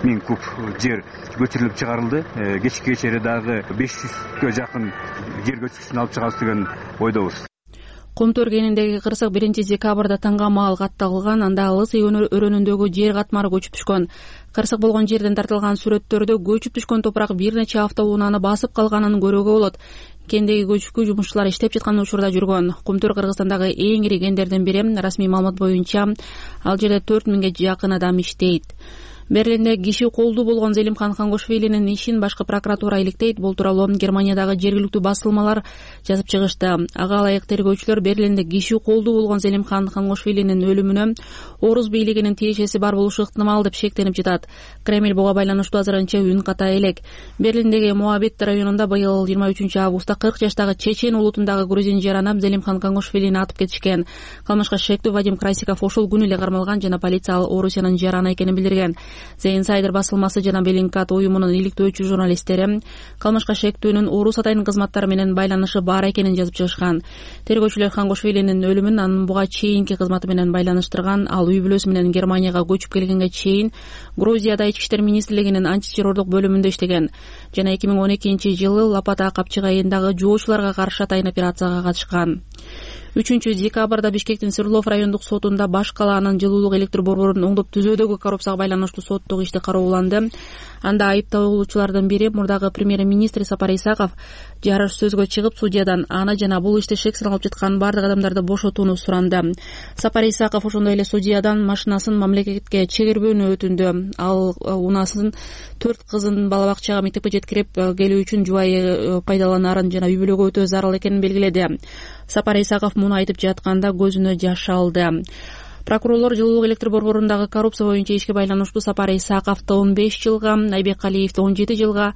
миң куб жер көчүрүлүп чыгарылды. Кечки кечээри дагы беш жүзгө жакын жер көчкүчүн алып чыгабыз деген ойдобуз. Кумтөр кениндеги кырсык биринчи декабрда таңга маал катталган. Анда Лысый өрөөнүндөгү жер катмары көчүп түшкөн. Кырсык болгон жерден тартылган сүрөттөрдө көчүп түшкөн топурак бир нече автоунааны басып калганын көрүүгө болот. Кендеги көчкү жумушчулар иштеп жаткан учурда жүргөн. Кумтөр Кыргызстандагы эң ири кендердин бири. Расмий маалымат боюнча ал жерде төрт миңге жакын адам иштейт. Берлинде киши колдуу болгон Зелимхан Хангошвилинин ишин башкы прокуратура иликтейт. Бул тууралуу Германиядагы жергиликтүү басылмалар жазып чыгышты. Ага ылайык тергөөчүлөр Берлинде киши колдуу болгон Зелимхан Хангошвилинин өлүмүнө орус бийлигинин тиешеси бар болушу ыктымал деп шектенип жатат. Кремль буга байланыштуу азырынча үн ката элек. Берлиндеги Моабит районунда быйыл жыйырма үчүнчү августта кырк жаштагы чечен улутундагы грузин жаранап Зелимхан Хангошвилини атып кетишкен. Кылмышка шектүү Вадим Красиков ошол күнү эле кармалган жана полиция ал Орусиянын жараны экенин билдирген. The Insider басылмасы жана Беллинкат уюмунун иликтөөчү журналисттери кылмышка шектүүнүн орус атайын кызматтары менен байланышы бар экенин жазып чыгышкан. Тергөөчүлөр Хангошвилинин өлүмүн анын буга чейинки кызматы менен байланыштырган. Ал үй бүлөсү менен Германияга көчүп келгенге чейин Грузияда Ички иштер министрлигинин антитеррордук бөлүмүндө иштеген жана эки миң он экинчи жылы Лапата капчык айындагы жоочуларга каршы атайын операцияга катышкан. үчүнчү декабрда Бишкектин Свердлов райондук сотунда баш калаанын жылуулук электр борборун оңдоп түзөөдөгү коррупцияга байланыштуу соттук ишти карооланды. Анда айыпталуучулардын бири мурдагы премьер-министр Сапар Исаков жарыш сөзгө чыгып судьядан аны жана бул ишти шексин алып жаткан бардык адамдарды бошотууну суранды. Сапар Исаков ошондой эле судьядан машинасын мамлекетке чегирбөөнү өтүндү. Ал унасын төрт кызын бала бакчага мектепке жеткирип келүү үчүн жубайы пайдаланарын жана үй бүлөгө өтө зарыл экенин белгиледи. Сапар Исаков муну айтып жатканда көзүнө жаш алды. Прокурорлор жылуулук электр борборундагы коррупция боюнча ишке байланыштуу Сапар Исаковду он беш жылга, Айбек Калиевди он жети жылга,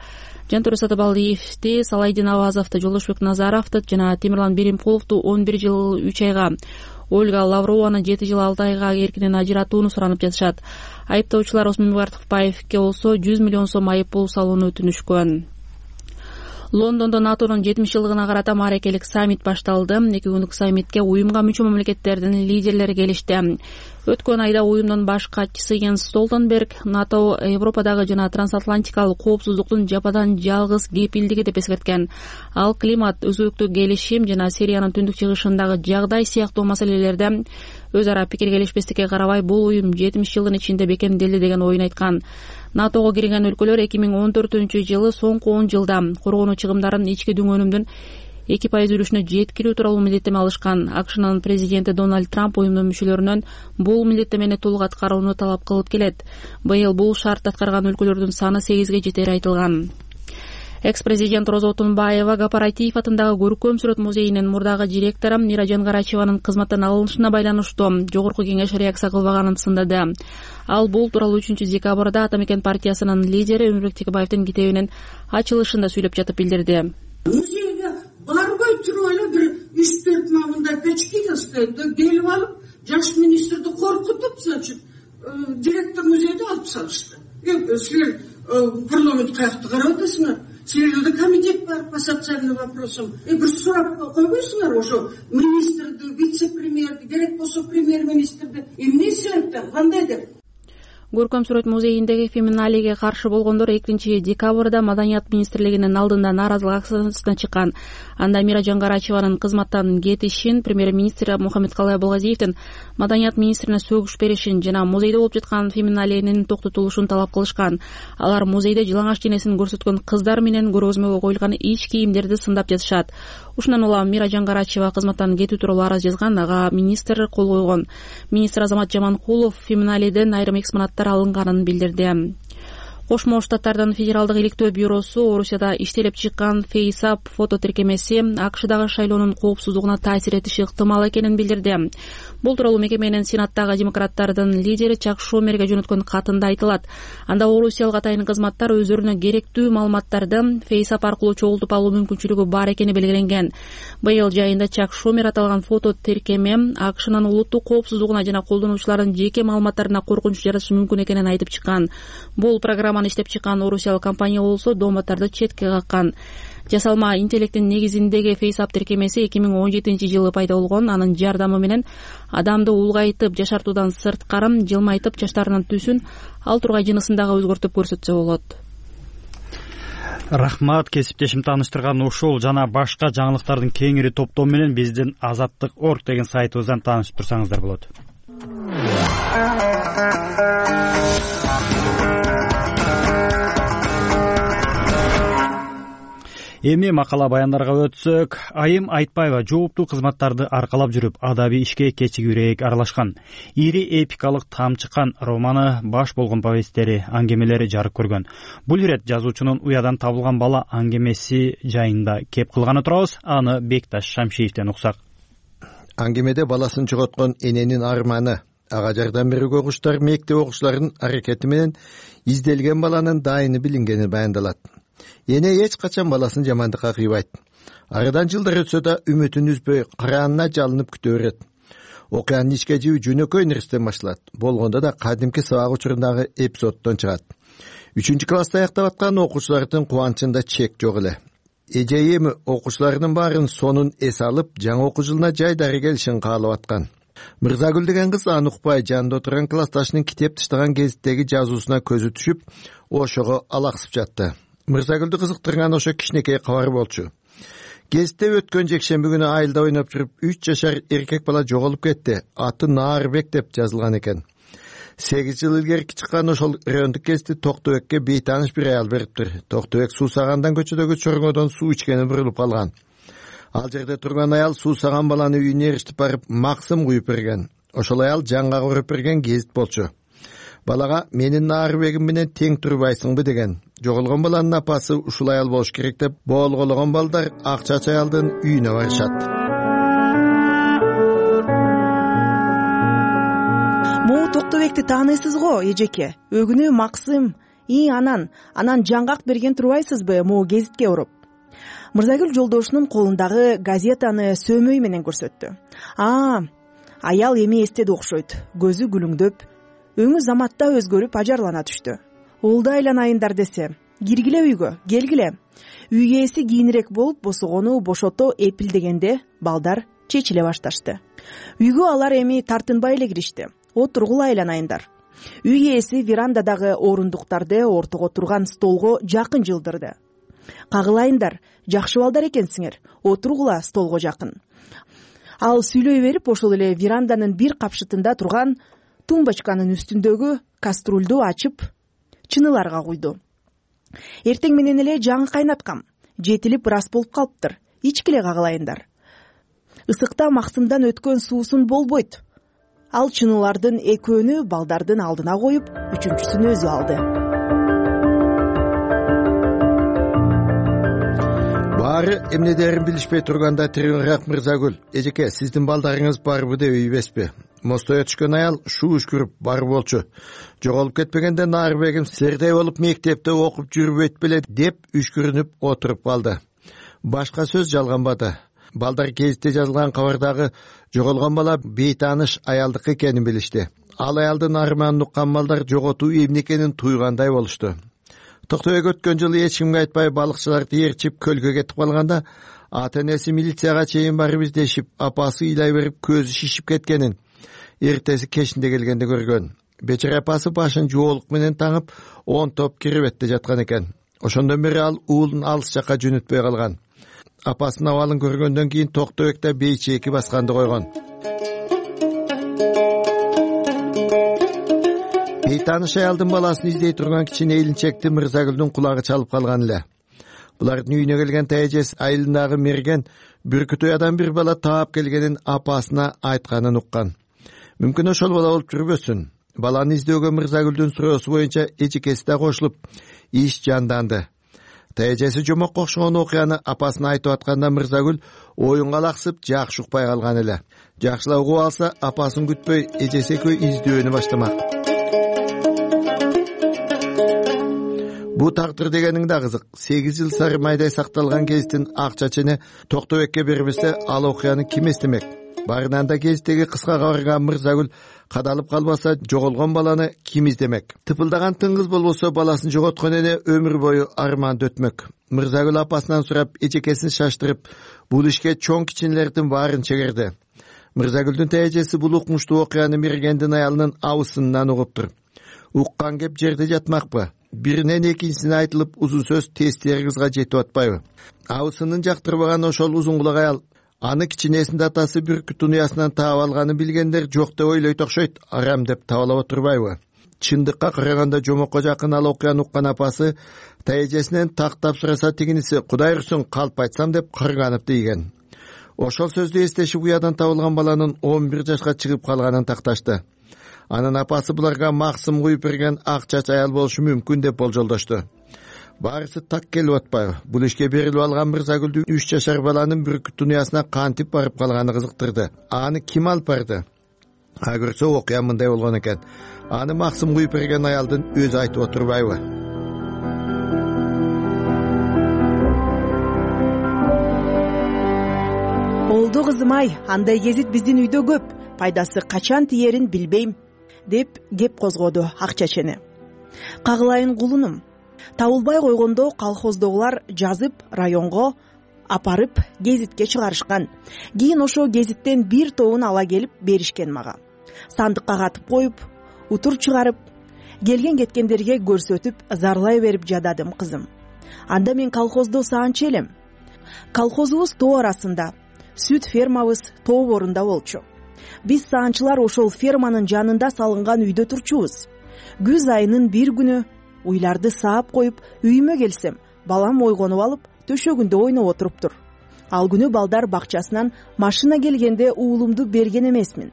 Жантөре Сатыбалдиевди, Салайдин Авазовду, Жолдошбек Назаровду жана Темирлан Беримкуловду он бир жыл үч айга, Ольга Лаврованы жети жыл алты айга эркинен ажыратууну суранып жатышат. Айыптоочулар Осмон Мубартовке болсо жүз миллион сом айып пул салууну өтүнүшкөн. Лондондо НАТОнун жетимиш жылдыгына карата маарекелик саммит башталды. Эки күндүк саммитке уюмга мүчө мамлекеттердин лидерлери келишти. Өткөн айда уюмдун баш катчысы Йенс Столтенберг НАТО Европадагы жана трансатлантикалык коопсуздуктун жападан жалгыз кепилдиги деп эскерткен. Ал климат өзгөртүү келишим жана Сириянын түндүк чыгышындагы жагдай сыяктуу маселелерде өз ара пикир келишпестикке карабай бул уюм жетимиш жылдын ичинде бекемделди деген оюн айткан. НАТОго кирген өлкөлөр эки миң он төртүнчү жылы соңку он жылда коргонуу чыгымдарын ички дүңөнүмдүн эки пайыз үлүшүнө жеткирүү тууралуу милдеттеме алышкан. АКШнын президенти Дональд Трамп уюмдун мүчөлөрүнөн бул милдеттемени толук аткарууну талап кылып келет. Быйыл бул шартты аткарган өлкөлөрдүн саны сегизге жетери айтылган. Экс-президент Роза Отунбаева Гапаратиев атындагы көркөм сүрөт музейинин мурдагы директору Миражан Карачеванын кызматтан алынышына байланыштуу жогорку кеңеш реакция кылбаганын сындады. Ал бул тууралуу үчүнчү декабрда Ата Мекен партиясынын лидери Өмүрбек Текебаевдин китебинин ачылышында сүйлөп жатып билдирди. Музейге барбай туруп эле бир үч төрт мындай печки өстөндө келип алып жаш министрди коркутуп, значит, директор музейди алып салышты. Силер парламент каякты карап атасыңар? Силерде комитет бар по социальным вопросам. Бир сурап койбойсуңар ошо министрди, вице-премьерди, керек болсо премьер-министрди эмне себептен, кандай деп? Көркөм сүрөт музейиндеги феминалиге каршы болгондор экинчи декабрда Маданият министрлигинин алдында нааразылык акциясына чыккан. Анда Мира Жангарачеванын кызматтан кетишин, премьер-министр Мухаммедкалый Абылгазиевдин Маданият министрине сөгүш беришин жана музейде болуп жаткан феминалиянын токтотулушун талап кылышкан. Алар музейде жылаңач денесин көрсөткөн кыздар менен көргөзмөгө коюлган ич кийимдерди сындап жатышат. Ушундан улам Мира Жангарачева кызматтан кетүү тууралуу арыз жазган, ага министр кол койгон. Министр Азамат Жаманкулов феминалиден айрым экспонаттар алынганын билдирди. Кошмо Штаттардын Федералдык иликтөө бюросу Орусияда иштелип чыккан фейсап фото тиркемеси АКШдагы шайлоонун коопсуздугуна таасир этиши ыктымал экенин билдирди. Бул тууралуу мекеменин Сенаттагы демократтардын лидери Чак Шумерге жөнөткөн катында айтылат. Анда орусиялык атайын кызматтар өздөрүнө керектүү маалыматтарды фейсап аркылуу чогултуп алуу мүмкүнчүлүгү бар экени белгиленген. Быйыл жайында Чак Шумер аталган фото тиркеме АКШнын улуттук коопсуздугуна жана колдонуучулардын жеке маалыматтарына коркунуч жаратышы мүмкүн экенин айтып чыккан. Бул программа иштеп чыккан орусиялык компания болсо дооматтарды четке каккан. Жасалма интеллекттин негизиндеги фейсап тиркемеси эки миң он жетинчи жылы пайда болгон. Анын жардамы менен адамды улгайтып, жашартуудан сырткары жылмайтып, чачтарынын түсүн ал тургай жынысын дагы өзгөртүп көрсөтсө болот. Рахмат, кесиптешим тааныштырган ушул жана башка жаңылыктардын кеңири топтоо менен биздин азаттык точка орг деген сайтыбыздан таанышып турсаңыздар болот. Эми макала баяндарга өтсөк, Айым Айтбаева жооптуу кызматтарды аркалап жүрүп, адаби ишке кечигүүрөөк аралашкан. Ири эпикалык Тамчыкан романы баш болгон повесттери, аңгемелери жарык көргөн. Бул ирет жазуучунун уядан табылган бала аңгемеси жайында кеп кылганы турабыз. Аны Бекташ Шамшиевден уксак. Аңгемеде баласын жоготкон эненин арманы, ага жардам берүүгө куштар мектеп окуучуларынын аракети менен изделген баланын дайыны билингени баяндалат. Эне эч качан баласын жамандыкка кыйбайт. Арадан жылдар өтсө да үмүтүн үзбөй караанына жалынып күтө берет. Окуянын ичке жиби жөнөкөй нерседен башталат. Болгондо да кадимки сабак учурундагы эпизоддон чыгат. үчүнчү класста аяктап аткан окуучулардын кубанычында чек жок эле. Эже эми окуучуларынын баарын сонун эс алып, жаңы окуу жылына жайдары келишин каалап аткан. Мырзагүл деген кыз аны укпай жанында отурган классташынын китеп таштаган гезиттеги жазуусуна көзү түшүп, ошого алаксып жатты. Мырзагүлдү кызыктырган ошо кичинекей кабар болчу. Гезитте өткөн жекшемби күнү айылда ойноп жүрүп, үч жашар эркек бала жоголуп кетти. Аты Наарбек деп жазылган экен. сегиз жыл илгерки чыккан ошол райондук гезитти Токтубекке бейтааныш бир аял бериптир. Токтубек суусагандан көчөдөгү чорңодон суу ичкени бурулуп калган. Ал жерде турган аял суусаган баланы үйүнө эриштип барып, максым куюп берген. Ошол аял жанга көрүп берген гезит болчу. Балага менин Наарбегим менен тең турбайсыңбы деген. Жоголгон баланын апасы ушул аял болуш керек деп, боолгологон балдар Акчач аялдын үйүнө барышат. Могу Токтубекти тааныйсыз го, эжеке? Өгүнү Максым, и анан, анан жаңгак берген турбайсызбы могу гезитке уруп? Мырзагүл жолдошунун колундагы газетаны сөөмөй менен көрсөттү. А, аял эми эстеди окшойт. Көзү күлүңдөп, өңү заматта өзгөрүп ажарлана түштү. Улда айланайындар десе, киргиле үйгө, келгиле. Үй ээси кийинирээк болуп, босогону бошото эпилдегенде балдар чечиле башташты. Үйгө алар эми тартынбай эле киришти. Отургула айланайындар. Үй ээси верандадагы орундуктарды ортого турган столго жакын жылдырды. Кагылайындар, жакшы балдар экенсиңер, отургула столго жакын. Ал сүйлөй берип, ошол эле веранданын бир капшытында турган тумбочканын үстүндөгү каструльду ачып, чыныларга куйду. Эртең менен эле жаңы кайнаткам. Жетилип ырас болуп калыптыр. Ичкиле кагылайындар. Ысыкта Максымдан өткөн суусун болбойт. Ал чынылардын экөөнү балдардын алдына коюп, үчүнчүсүн өзү алды. Баары эмнедерин билишпей турганда тиринирээк Мырзагүл, эжеке, сиздин балдарыңыз барбы деп үйбеспи? Мостое түшкөн аял шуу үшкүрүп бар болчу. Жоголуп кетпегенде Наарбегим сирдей болуп мектепте окуп жүрбөйт беле деп үшкүрүнүп отуруп калды. Башка сөз жалганбады. Балдар гезитте жазылган кабардагы жоголгон бала бейтааныш аялдыкы экенин билишти. Ал аялдын арманын уккан балдар жоготуу эмне экенин туйгандай болушту. Токто Бек өткөн жылы эч кимге айтпай балыкчыларды ээрчип көлгө кетип калганда ата-энеси милицияга чейин барып издешип, апасы ыйлай берип көзү шишип кеткенин эртеси кечинде келгенде көргөн. Бечара апасы башын жоолук менен таңып он топ киребетте жаткан экен. Ошондон бери ал уулун алыс жакка жөнөтпөй калган. Апасынын абалын көргөндөн кийин Токто Бекте бейчеки басканды койгон. Бейтааныш аялдын баласын издей турган кичине элинчекти Мырзагүлдүн кулагы чалып калган эле. Булардын үйүнө келген тайэжеси айылындагы мерген Бүркүт уядан бир бала таап келгенин апасына айтканын уккан. Мүмкүн ошол бала болуп жүрбөсүн. Баланы издөөгө Мырзагүлдүн суроосу боюнча эжекеси да кошулуп, иш жанданды. Тайэжеси жомок окшогон окуяны апасына айтып атканда Мырзагүл оюнга алаксып жакшы укпай калган эле. Жакшылап угуп алса, апасын күтпөй эжеси экөө издөөнү баштамак. Бу тагдыр дегениң да кызык. сегиз жыл сары майдай сакталган гезиттин ак чачыны Токто Бекке бербесе, ал окуяны ким эстемек? Барынан да гезиттеги кыска кабарга Мырзагүл кадалып калбаса, жоголгон баланы ким издемек? Тыпылдаган тыңгыз болбосо, баласын жоготкон эне өмүр бою арманды өтмөк. Мырзагүл апасынан сурап, эжекесин шаштырып, бул ишке чоң кичинелердин баарын чегерди. Мырзагүлдүн тайэжеси бул укмуштуу окуяны Мергендин аялынын абысынынан угуптур. Уккан кеп жерде жатмакпы? Биринен экинчисине айтылып, узун сөз тестери кызга жетип атпайбы? Абысынын жактырбаган ошол узун кулак аял аны кичинесинде атасы Бүркүттүн уясынан таап алганын билгендер жок деп ойлойт окшойт, арам деп табалап отурбайбы? Чындыкка караганда жомокко жакын ал окуяны уккан апасы тайэжесинен тактап сураса, тигиниси Кудай урсун калп айтсам деп кырганып тийген. Ошол сөздү эстешип уядан табылган баланын он бир жашка чыгып калганын такташты. Анын апасы буларга максым куюп берген ак чач аял болушу мүмкүн деп болжолдошту. Баарысы так келип атпайбы? Бул ишке берилип алган Мырзагүлдүн үч жашар баланын Бүркүттүн уясына кантип барып калганы кызыктырды. Аны ким алып барды? А көрсө окуя мындай болгон экен. Аны максым куюп берген аялдын өзү айтып отурбайбы? Болду кызым-ай, андай гезит биздин үйдө көп. Пайдасы качан тиерин билбейм, деп кеп козгоду ак чечени. Кагылайын кулунум. Табылбай койгондо колхоздогулар жазып районго апарып гезитке чыгарышкан. Кийин ошо гезиттен бир тобун ала келип беришкен мага. Сандыкка катып коюп, утур чыгарып, келген кеткендерге көрсөтүп, зарлай берип жададым кызым. Анда мен колхоздо саанчы элем. Колхозубуз тоо арасында, сүт фермабыз тоо борунда болчу. Биз саанчылар ошол ферманын жанында салынган үйдө турчубуз. Күз айынын бир күнү уйларды саап коюп, үйүмө келсем, балам ойгонуп алып, төшөгүндө ойноп отуруптур. Ал күнү балдар бакчасынан машина келгенде уулумду берген эмесмин.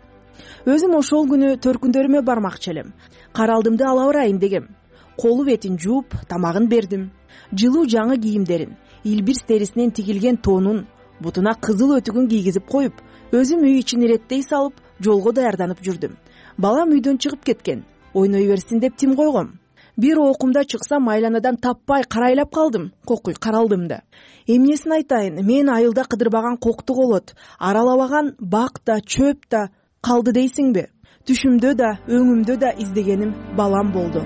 Өзүм ошол күнү төркүндөрүмө бармакчы элем. Каралдымды ала барайын дегем. Колу бетин жууп, тамагын бердим. Жылуу жаңы кийимдерин, илбирс терисинен тигилген тонун, бутуна кызыл өтүгүн кийгизип коюп, өзүм үй ичин иреттей салып, жолго даярданып жүрдүм. Балам үйдөн чыгып кеткен. Ойной берсин деп тим койгом. Бир окумда чыксам, айланадан таппай карайлап калдым. Кокуй каралдым да. Эмнесин айтайын, мен айылда кыдырбаган кокту колот, аралабаган бак да, чөп да калды дейсиңби? Түшүмдө да, өңүмдө да издегеним балам болду.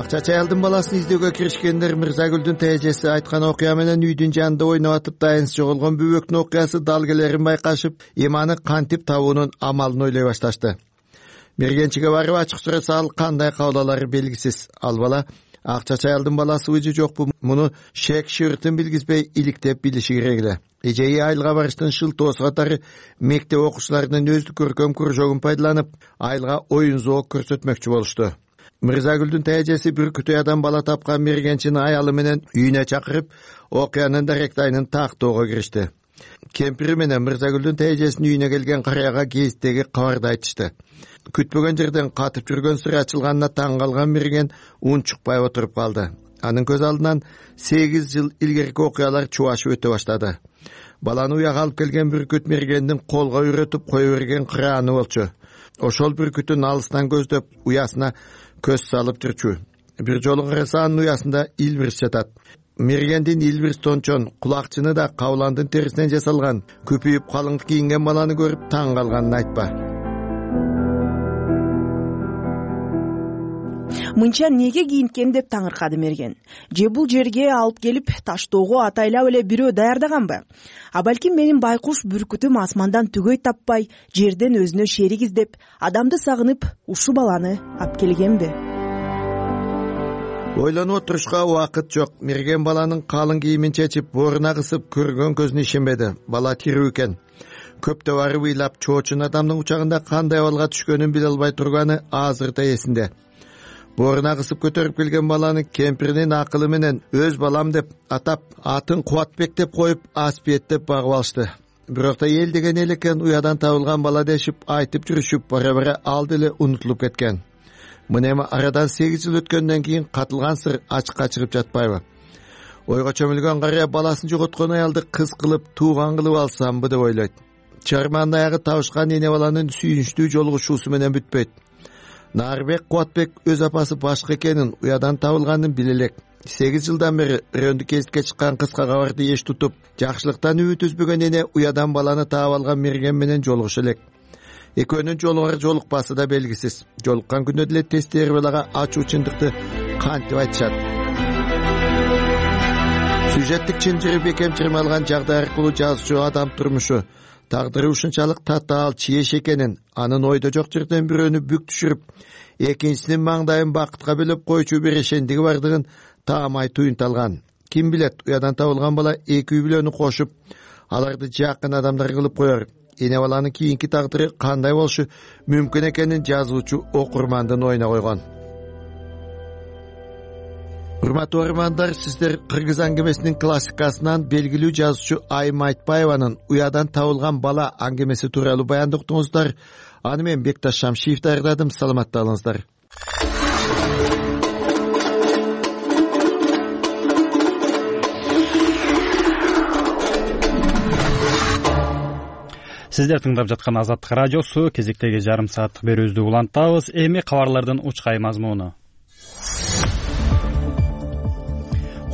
Ак чач аялдын баласын издөөгө киришкендер Мырзагүлдүн тайэжеси айткан окуя менен үйдүн жанында ойноп атып дайынсыз жоголгон бөбөктүн окуясы далгелерин байкашып, эми аны кантип табуунун амалын ойлой башташты. Мергенчиге барып ачык сураса, ал кандай кабыл алары белгисиз. Ал бала ак чач аялдын баласыбы же жокпу, муну шек шыртын билгизбей иликтеп билиши керек эле. Эжеги айылга барыштын шылтоосу катары мектеп окуучуларынын өздүк көркөм кружогун пайдаланып, айылга оюн зоок көрсөтмөкчү болушту. Мырзагүлдүн тайэжеси Бүркүт уядан бала тапкан мергенчини аялы менен үйүнө чакырып, окуянын даректайын тактоого киришти. Кемпири менен Мырзагүлдүн тайэжесинин үйүнө келген карыяга гезиттеги кабарды айтышты. Күтпөгөн жерден катып жүргөн сыр ачылганына таң калган мерген унчукпай отуруп калды. Анын көз алдынан сегиз жыл илгерки окуялар чубашып өтө баштады. Баланы уяга алып келген Бүркүт мергендин колго үйрөтүп кое берген кырааны болчу. Ошол Бүркүтүн алыстан көздөп, уясына көз салып жүрчү. Бир жолу караса, анын уясында илбирс жатат. Мергендин Илбирс Тончон кулакчыны да кабыландын терисинен жасалган көпөйүп калың кийинген баланы көрүп таң калганын айтпа. Мынча неге кийинткем деп таңыркады Мерген. Же бул жерге алып келип таштоого атайлап эле бирөө даярдаганбы? А балким менин байкуш бүркүтүм асмандан түгөй таппай, жерден өзүнө шерик издеп, адамды сагынып, ушу баланы алып келгенби? Ойлонуп отурушка убакыт жок. Мерген баланын калың кийимин чечип, бооруна кысып көргөн көзүнө ишенбеди. Бала тирүү экен. Көптө барып ыйлап, чоочун адамдын учагында кандай абалга түшкөнүн биле албай турганы азырда эсинде. Бооруна кысып көтөрүп келген баланы кемпиринин акылы менен өз балам деп атап, атын Кубатбек деп коюп, Аспиет деп багып алышты. Бирок да эл деген эл экен, уядан табылган бала дешип айтып жүрүшүп, бара-бара ал деле унутулуп кеткен. Мына эми арадан сегиз жыл өткөндөн кийин катылган сыр ачыкка чыгып жатпайбы? Ойго чөмүлгөн карыя баласын жоготкон аялды кыз кылып, тууган кылып алсамбы деп ойлойт. Чарманын аягы табышкан эне баланын сүйүнчтүү жолугушуусу менен бүтпөйт. Нарбек Кубатбек өз апасы башка экенин, уядан табылганын биле элек. сегиз жылдан бери рөндү кесипке чыккан кыска кабарды эч тутуп, жакшылыктан үмүт үзбөгөн эне уядан баланы таап алган Мерген менен жолугуша элек. Экөөнүн жолугар жолукпасы да белгисиз. Жолуккан күндө деле тестери балага ачуу чындыкты кантип айтышат. Сюжеттик чынжыры бекем чырмалган жагдай аркылуу жазуучу адам турмушу, тагдыры ушунчалык татаал чиеш экенин, анын ойдо жок жерден бирөөнү бүк түшүрүп, экинчисинин маңдайын бакытка бөлөп койчу бир ишендиги бардыгын таамай туюнталган. Ким билет, уядан табылган бала эки үй бүлөнү кошуп, аларды жакын адамдар кылып коер. Эне баланын кийинки тагдыры кандай болушу мүмкүн экенин жазуучу окурмандын оюна койгон. Урматтуу окурмандар, сиздер Кыргыз аңгемесинин классикасынан белгилүү жазуучу Айым Айтбаеванын уядан табылган бала аңгемеси тууралуу баянды уктуңуздар. Аны мен Бекташ Шамшиев даярдадым. Саламатта болуңуздар. Сиздер тыңдап жаткан Азаттык радиосу, кезектеги жарым сааттык берүүбүздү улантабыз. Эми кабарлардын учкай мазмуну.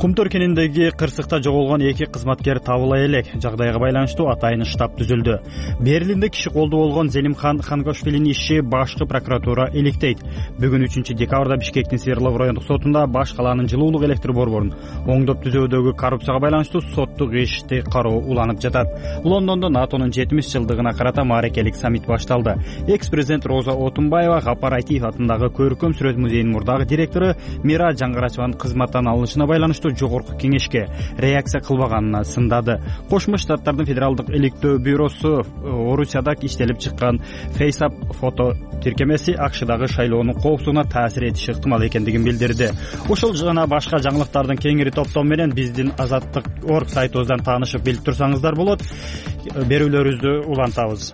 Кумтөр кениндеги кырсыкта жоголгон эки кызматкер табыла элек. Жагдайга байланыштуу атайын штаб түзүлдү. Берлинде киши колдуу болгон Зелимхан Хангошвилинин иши башкы прокуратура иликтейт. Бүгүн үчүнчү декабрда Бишкектин Свердлов райондук сотунда баш калаанын жылуулук электр борборун оңдоп түзүүдөгү коррупцияга байланыштуу соттук ишти кароо уланып жатат. Лондондо НАТОнун жетимиш жылдыгына карата мааракелик саммит башталды. Экс-президент Роза Отунбаева Гапар Айтиев атындагы Көркөм сүрөт музейинин мурдагы директору Мира Жаңгарачеванын кызматтан алынышына байланыштуу жогорку кеңешке реакция кылбаганына сындады. Кошмо Штаттардын федералдык иликтөө бюросу Орусияда иштелип чыккан FaceApp фото тиркемеси АКШдагы шайлоонун коопсуздугуна таасир этиши ыктымал экендигин билдирди. Ошол жана башка жаңылыктардын кеңири топтому менен биздин Азаттык орг сайтыбыздан таанышып билип турсаңыздар болот. Берүүлөрүбүздү улантабыз.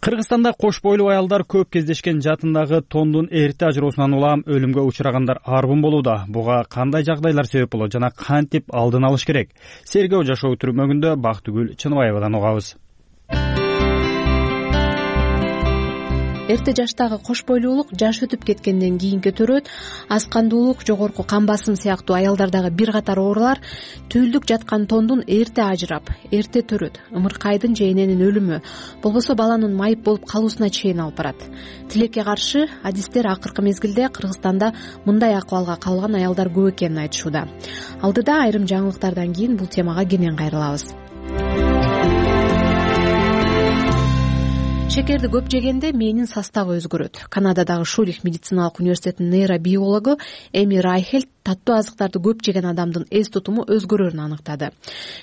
Кыргызстанда кош бойлуу аялдар көп кездешкен жатындагы тондун эрте ажыроосунан улам өлүмгө учурагандар арбын болууда. Буга кандай жагдайлар себеп болот жана кантип алдын алыш керек? Сергөө жашоо түрмөгүндө Бактыгүл Чыныбаевадан угабыз. Эрте жаштагы кош бойлуулук жаш өтүп кеткенден кийин көтөрөт. Аскандуулук, жогорку кан басым сыяктуу аялдардагы бир катар оорулар түйүлдүк жаткан тондун эрте ажырап, эрте төрөт. Ымыркайдын же эненин өлүмү, болбосо баланын майып болуп калуусуна чейин алып барат. Тилекке каршы адистер акыркы мезгилде Кыргызстанда мындай акыбалга калган аялдар көп экенин айтышууда. Алдыда айрым жаңылыктардан кийин бул темага кенен кайрылабыз. Шекерди көп жегенде мээнин составы өзгөрөт. Канададагы Шулих медициналык университетинин нейробиологу Эми Райхельд таттуу азыктарды көп жеген адамдын эс тутуму өзгөрөрүн аныктады.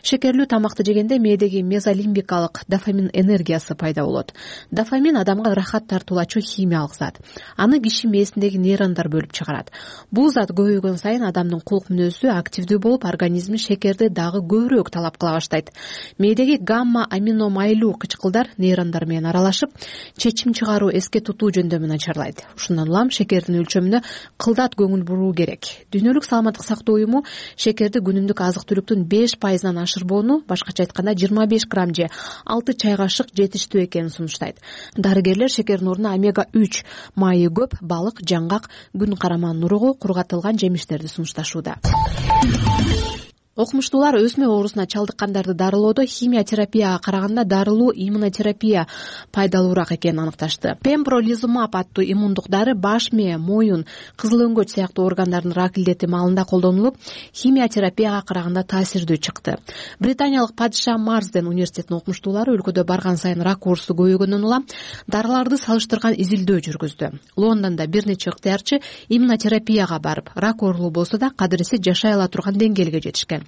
Шекерлүү тамакты жегенде мээдеги мезолимбикалык дофамин энергиясы пайда болот. Дофамин адамга рахат тартуулачу химиялык зат. Аны киши мээсиндеги нейрондар бөлүп чыгарат. Бул зат көбөйгөн сайын адамдын кулк мүнөзү активдүү болуп, организми шекерди дагы көбүрөөк талап кыла баштайт. Мээдеги гамма аминомайлуу кычкылдар нейрондар менен аралашып, чечим чыгаруу, эске тутуу жөндөмүн начарлайт. Ушундан улам шекердин өлчөмүнө кылдат көңүл буруу керек. Дүйнө дүйнөлүк саламаттык сактоо уюму шекерди күнүмдүк азык түлүктүн беш пайызынан ашырбоону, башкача айтканда жыйырма беш грамм же алты чай кашык жетиштүү экенин сунуштайт. Дарыгерлер шекердин ордуна омега үч, майы көп, балык, жаңгак, күн караманын уругу, кургатылган жемиштерди сунушташууда. Окумуштуулар өсмө оорусуна чалдыккандарды дарылоодо химия терапияга караганда дарылуу иммунотерапия пайдалуураак экенин аныкташты. Пембролизумаб аттуу иммундук дары баш мээ, моюн, кызыл өңгөч сыяктуу органдардын рак илдети маалында колдонулуп, химия терапияга караганда таасирдүү чыкты. Британиялык Падиша Марсден университетинин окумуштуулары өлкөдө барган сайын рак оорусу көбөйгөндөн улам дарыларды салыштырган изилдөө жүргүздү. Лондондо бир нече ыктыярчы иммунотерапияга барып, рак оорулуу болсо да кадыресе жашай ала турган деңгээлге жетишкен.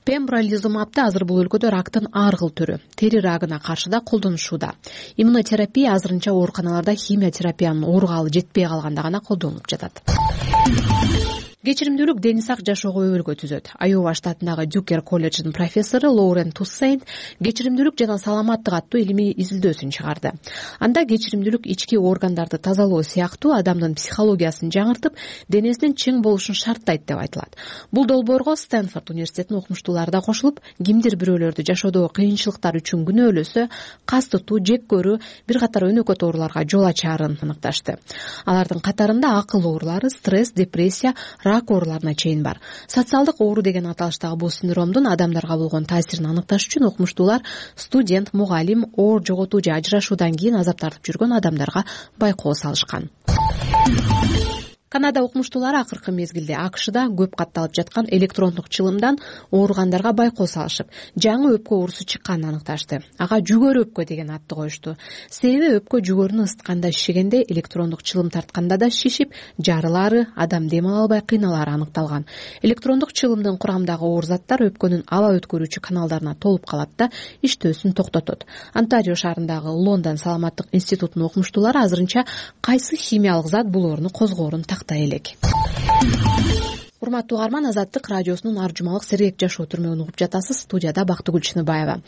Пембролизумабды азыр бул өлкөдө рактын ар кыл түрү, тери рагына каршы да колдонушууда. Иммунотерапия азырынча ооруканаларда химия терапиянын оорукалы жетпей калганда гана колдонулуп жатат. Кечиримдүүлүк дени сак жашоого өбөлгө түзөт. Айова штатындагы Дюкер колледжинин профессору Лоурен Туссейн кечиримдүүлүк жана саламаттык аттуу илимий изилдөөсүн чыгарды. Анда кечиримдүүлүк ички органдарды тазалоо сыяктуу адамдын психологиясын жаңыртып, денесинин чың болушун шарттайт деп айтылат. Бул долбоорго Стэнфорд университетинин окумуштуулары да кошулуп, кимдир бирөөлөрдү жашоодогу кыйынчылыктар үчүн күнөөлөсө, кас тутуу, жек көрүү, бир катар өнөкөт ооруларга жол ачаарын аныкташты. Алардын катарында акыл оорулары, стресс, депрессия, рак ооруларына чейин бар. Социалдык оору деген аталыштагы бул синдромдун адамдарга болгон таасирин аныкташ үчүн окумуштуулар студент, мугалим, оор жоготуу же ажырашуудан кийин азап тартып жүргөн адамдарга байкоо салышкан. Канада окумуштуулары акыркы мезгилде АКШда көп катталып жаткан электрондук чылымдан ооругандарга байкоо салышып, жаңы өпкө оорусу чыкканын аныкташты. Ага жүгөр өпкө деген атты коюшту. Себеби өпкө жүгөрүнү ысытканда шишегенде, электрондук чылым тартканда да шишип, жарылаары, адам дем ала албай кыйналаары аныкталган. Электрондук чылымдын курамындагы оор заттар өпкөнүн аба өткөрүүчү каналдарына толуп калат да иштөөсүн токтотот. Онтарио шаарындагы Лондон саламаттык институтунун окумуштуулары азырынча кайсы химиялык зат бул оорууну козгоорун тактай элек. Урматтуу угарман, Азаттык радиосунун ар жумалык сергек жашоо түрмөгүн угуп жатасыз. Студияда Бактыгүл Чыныбаева.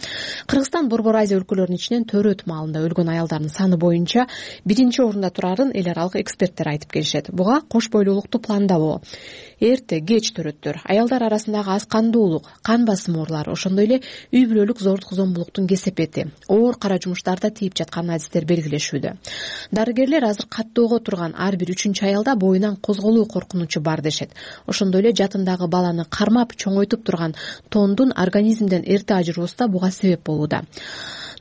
Кыргызстан Борбор Азия өлкөлөрүнүн ичинен төрөт маалында өлгөн аялдардын саны боюнча биринчи орунда турарын эл аралык эксперттер айтып келишет. Буга кош бойлуулукту пландабоо, эрте кеч төрөттөр, аялдар арасындагы аз кандуулук, кан басым оорулары, ошондой эле үй бүлөлүк зордук зомбулуктун кесепети, оор кара жумуштарда тийип жаткан адистер белгилешүүдө. Дарыгерлер азыр каттоого турган ар бир үчүнчү аялда боюнан козголуу коркунучу бар дешет. Ошондой эле жатындагы баланы кармап чоңойтуп турган тондун организмден эрте ажыроосу да буга себеп болууда.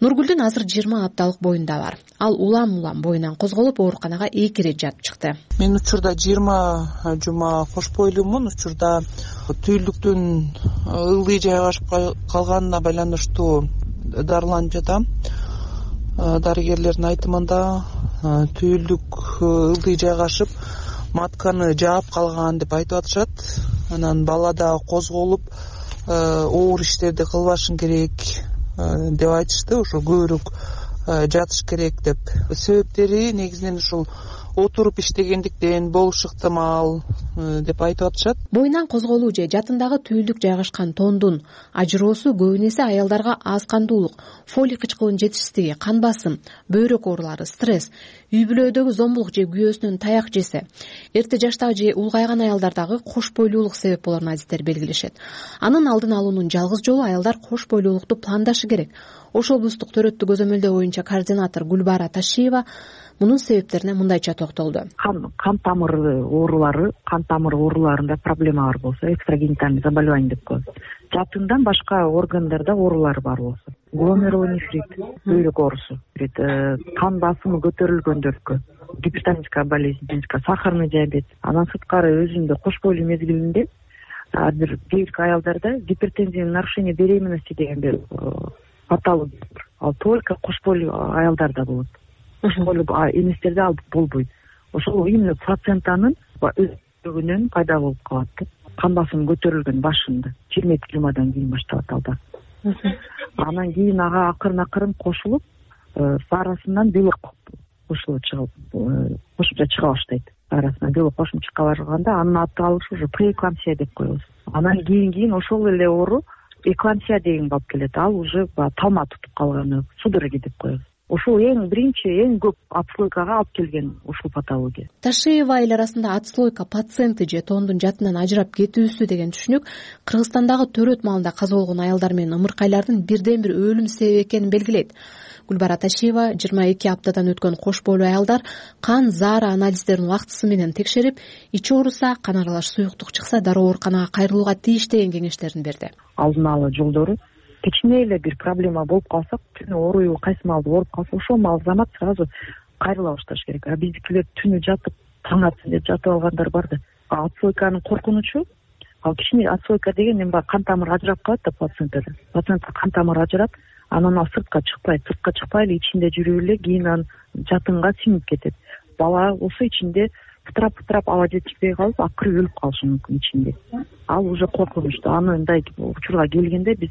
Нургүлдүн азыр жыйырма апталык боюнда бар. Ал улам-улам боюнан козголуп ооруканага эки ирет жатып чыкты. Мен учурда жыйырма жума кош бойлуумун. Учурда түйүлдүктүн ылдый жайгашып калганына байланыштуу дарыланып жатам. Дарыгерлердин айтымында түйүлдүк ылдый жайгашып, матканы жаап калган деп айтып атышат. Анан бала да козголуп, оор иштерди кылбашың керек деп айтышты. Ошо көбүрөөк жатыш керек деп. Себептери негизинен ушул отуруп иштегендиктен болушу ыктымал деп айтып атышат. Боюнан козголуу же жатындагы түйүлдүк жайгашкан тондун ажыроосу көбүн эсе аялдарга аз кандуулук, фолий кычкылынын жетишсиздиги, кан басым, бөйрөк оорулары, стресс, үй бүлөдөгү зомбулук же күйөөсүнөн таяк жесе, эрте жаштагы же улгайган аялдардагы кош бойлуулук себеп болорун адистер белгилешет. Анын алдын алуунун жалгыз жолу аялдар кош бойлуулукту пландашы керек. Ош облустук төрөттү көзөмөлдөө боюнча координатор Гүлбара Ташиева мунун себептерине мындайча токтолду. Кан кан тамыры оорулары, кан тамыры ооруларында проблема бар болсо, экстрагенитальный заболевание деп коет. Жатындан башка органдарда оорулар бар болсо, гломерулонефрит, бөйрөк оорусу, кан басымы көтөрүлгөндөргө, гипертоническая болезнь, сахарный диабет. Андан сырткары өзүндө кош бойлуу мезгилинде бир кээ бир аялдарда гипертензивный нарушение беременности деген бир патология. Ал только кош бойлуу аялдарда болот. Кош бойлуу эместерде ал болбойт. Ошол именно плацентанын өзүнөн пайда болуп калат. Кан басымы көтөрүлгөн башында, жыйырма эки жумадан кийин башталат алда. Анан кийин ага акырын акырын кошулуп, арасынан белек кошулуп чыгып, кошумча чыга баштайт. Арасынан белек кошумча чыга башлаганда анын аты алышы уже преэклампсия деп коебуз. Анан кийин кийин ошол эле оору эклампсия деген болуп келет. Ал уже талма тутуп калганы, судороги деп коебуз. ушул эң биринчи эң көп отслойкага алып келген ушул патология. Ташиева айыл арасында отслойка пациенти же тоондун жатынан ажырап кетүүсү деген түшүнүк Кыргызстандагы төрөт маалында каза болгон аялдар менен ымыркайлардын бирден бир өлүм себеби экенин белгилейт. Гүлбара Ташиева жыйырма эки аптадан өткөн кош бойлуу аялдар кан заара анализдерин убактысы менен текшерип, ичи ооруса, кан аралаш суюктук чыкса дароо ооруканага кайрылууга тийиш деген кеңештерин берди. Алдын ала жолдору кичине эле бир проблема болуп калса, түнү ооруйбу, кайсы маалда ооруп калса, ошол маал замат сразу кайрыла башташ керек. А биздикилер түнү жатып, таң атсын деп жатып алгандар бар да. Отслойканын коркунучу, ал кичине отслойка деген эми кан тамыры ажырап калат да пациенттерде. Пациентке кан тамыры ажырап, анан ал сыртка чыкпайт, сыртка чыкпай эле ичинде жүрүп эле кийин анан жатынга сиңип кетет. Бала болсо ичинде пытырап-пытырап аба жетишпей калып, акыры өлүп калышы мүмкүн ичинде. Ал уже коркунучтуу. Анындай учурга келгенде биз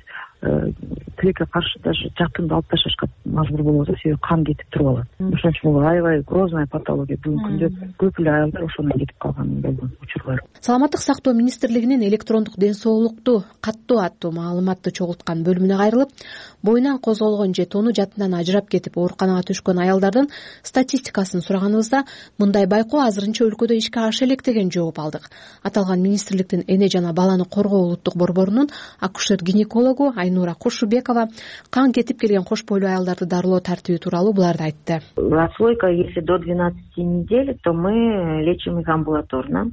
тилекке каршы даже жатынды алып ташташка мажбур болобуз, себеби кан кетип туруп алат. Ошон үчүн бул аябай грозная патология. Бүгүнкү күндө көп эле аялдар ошондон кетип калган болгон учурлар. Саламаттык сактоо министрлигинин электрондук ден соолукту каттоо аттуу маалыматты чогулткан бөлүмүнө кайрылып, боюнан козголгон же тоону жатынан ажырап кетип ооруканага түшкөн аялдардын статистикасын сураганыбызда, мындай байкоо азырынча өлкөдө ишке аша элек деген жооп алдык. Аталган министрликтин эне жана баланы коргоо улуттук борборунун акушер-гинекологу Айнура Кошубекова кан кетип келген кош бойлуу аялдарды дарылоо тартиби тууралуу буларды айтты. Отслойка, если до двенадцати недель, то мы лечим их амбулаторно.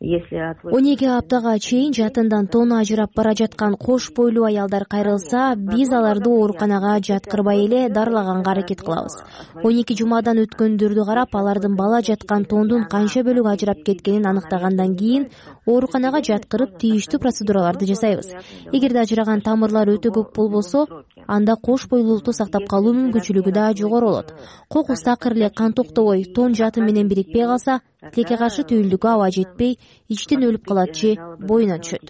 он эки аптага чейин жатындан тоону ажырап бара жаткан кош бойлуу аялдар кайрылса, биз аларды ооруканага жаткырбай эле дарылаганга аракет кылабыз. он эки жумадан өткөндөрдү карап, алардын бала жаткан тоондун канча бөлүгү ажырап кеткенин аныктагандан кийин ооруканага жаткырып тийиштүү процедураларды жасайбыз. Эгерде ажыраган тамырлар өтө көп болбосо, анда кош бойлуулукту сактап калуу мүмкүнчүлүгү да жогору болот. Кокус такыр эле кан токтобой, тоон жатын менен бирикпей калса, тилекке каршы түйүлдүккө аба жетпей, ичтен өлүп калат же боюнан түшөт.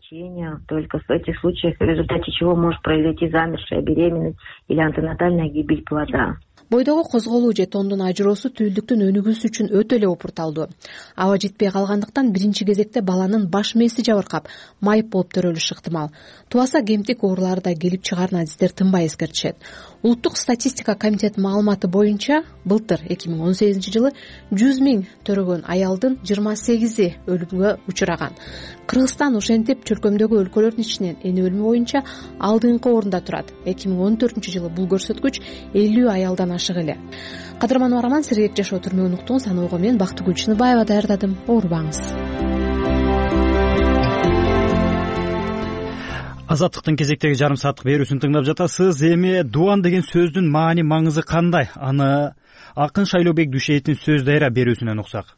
Только в этих случаях, в результате чего может произойти замершая беременность или антенатальная гибель плода. Бойдогу козголуу же тоондун ажыроосу түйүлдүктүн өнүгүүсү үчүн өтө эле опурталдуу. Аба жетпей калгандыктан биринчи кезекте баланын баш мээси жабыркап, майып болуп төрөлүшү ыктымал. Тубаса кемтик оорулары да келип чыгаарына адистер тынбай эскертишет. Улуттук статистика комитетинин маалыматы боюнча, былтыр эки миң он сегизинчи жылы жүз миң төрөгөн аялдын жыйырма сегизи өлүмгө учураган. Кыргызстан ошентип чөлкөмдөгү өлкөлөрдүн ичинен эне өлүмү боюнча алдыңкы орунда турат. эки миң он төртүнчү жылы бул көрсөткүч элүү аялдан ашык эле. Кадырман Уарман, Сергек жашоо түрмөгүн уктуңуз. Ануго мен Бактыгүл Чыныбаева даярдадым. Оорубаңыз. Азаттыктын кезектеги жарым сааттык берүүсүн тыңдап жатасыз. Эми дубан деген сөздүн маани маңызы кандай? Аны Акын Шайлообек Дүйшеевдин сөз дайра берүүсүнөн уксак.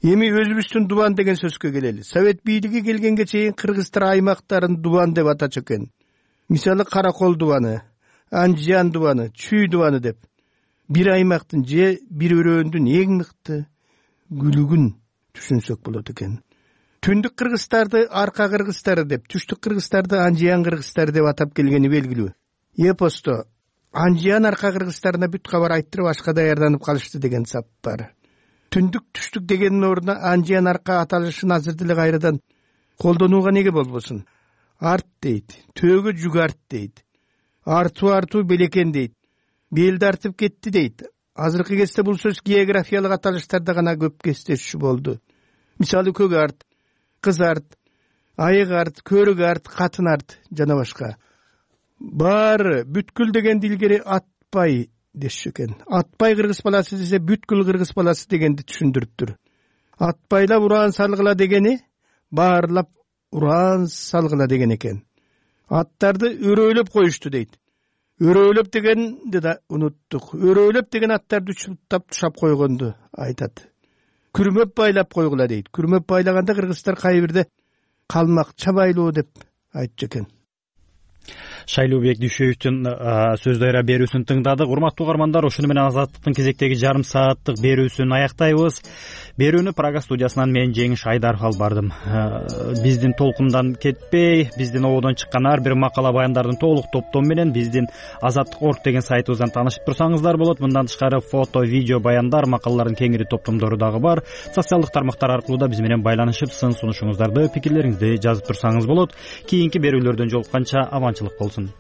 Эми өзүбүздүн дубан деген сөзгө келели. Совет бийлиги келгенге чейин кыргыздар аймактарын дубан деп атачу экен. Мисалы Каракол дубаны, Анжан дубаны, Чүй дубаны деп. Бир аймактын же бир өрөөндүн эң мыкты күлүгүн түшүнсөк болот экен. Түндүк кыргыздарды арка кыргыздары деп, түштүк кыргыздарды Анжан кыргыздары деп атап келгени белгилүү. Эпосто Анжан арка кыргыздарына бүт кабар айттырып ашка даярданып калышты деген сап бар. Түндүк түштүк дегенин ордуна Анжан арка аталышын азыр деле кайрадан колдонууга неге болбосун? Арт дейт, төөгө жүк арт дейт. Артуу артуу белекен дейт. Белди артып кетти дейт. Азыркы кезде бул сөз географиялык аталыштарда гана көп кездешүү болду. Мисалы көк арт, кыз арт, айык арт, көрүк арт, катын арт жана башка. Баары бүткүл дегенди илгери атпай дешчү экен. Атпай кыргыз баласы десе бүткүл кыргыз баласы дегенди түшүндүрүптүр. Атпайлап ураан салгыла дегени баарлап ураан салгыла деген экен. Аттарды өрөөлөп коюшту дейт. Өрөөлөп дегенди да унуттук. Өрөөлөп деген аттарды чуптап тушап койгонду айтат. Күрмөп байлап койгула дейт. Күрмөп байлаганда кыргыздар кайбирде калмакча байлоо деп айтчу экен. Шайлообек Дүйшеевдин сөз дайра берүүсүн тыңдадык. Урматтуу угармандар, ошону менен Азаттыктын кезектеги жарым сааттык берүүсүн аяктайбыз. Берүүнү Прага студиясынан мен Жеңиш Айдаров алып бардым. Биздин толкундан кетпей, биздин ободон чыккан ар бир макала баяндардын толук топтому менен биздин азаттык точка орг деген сайтыбыздан таанышып турсаңыздар болот. Мындан тышкары фото, видео баяндар, макалалардын кеңири топтомдору дагы бар. Социалдык тармактар аркылуу да биз менен байланышып, сын сунушуңуздарды, пикирлериңизди жазып турсаңыз болот. Кийинки берүүлөрдөн жолукканча аманчылык болсун.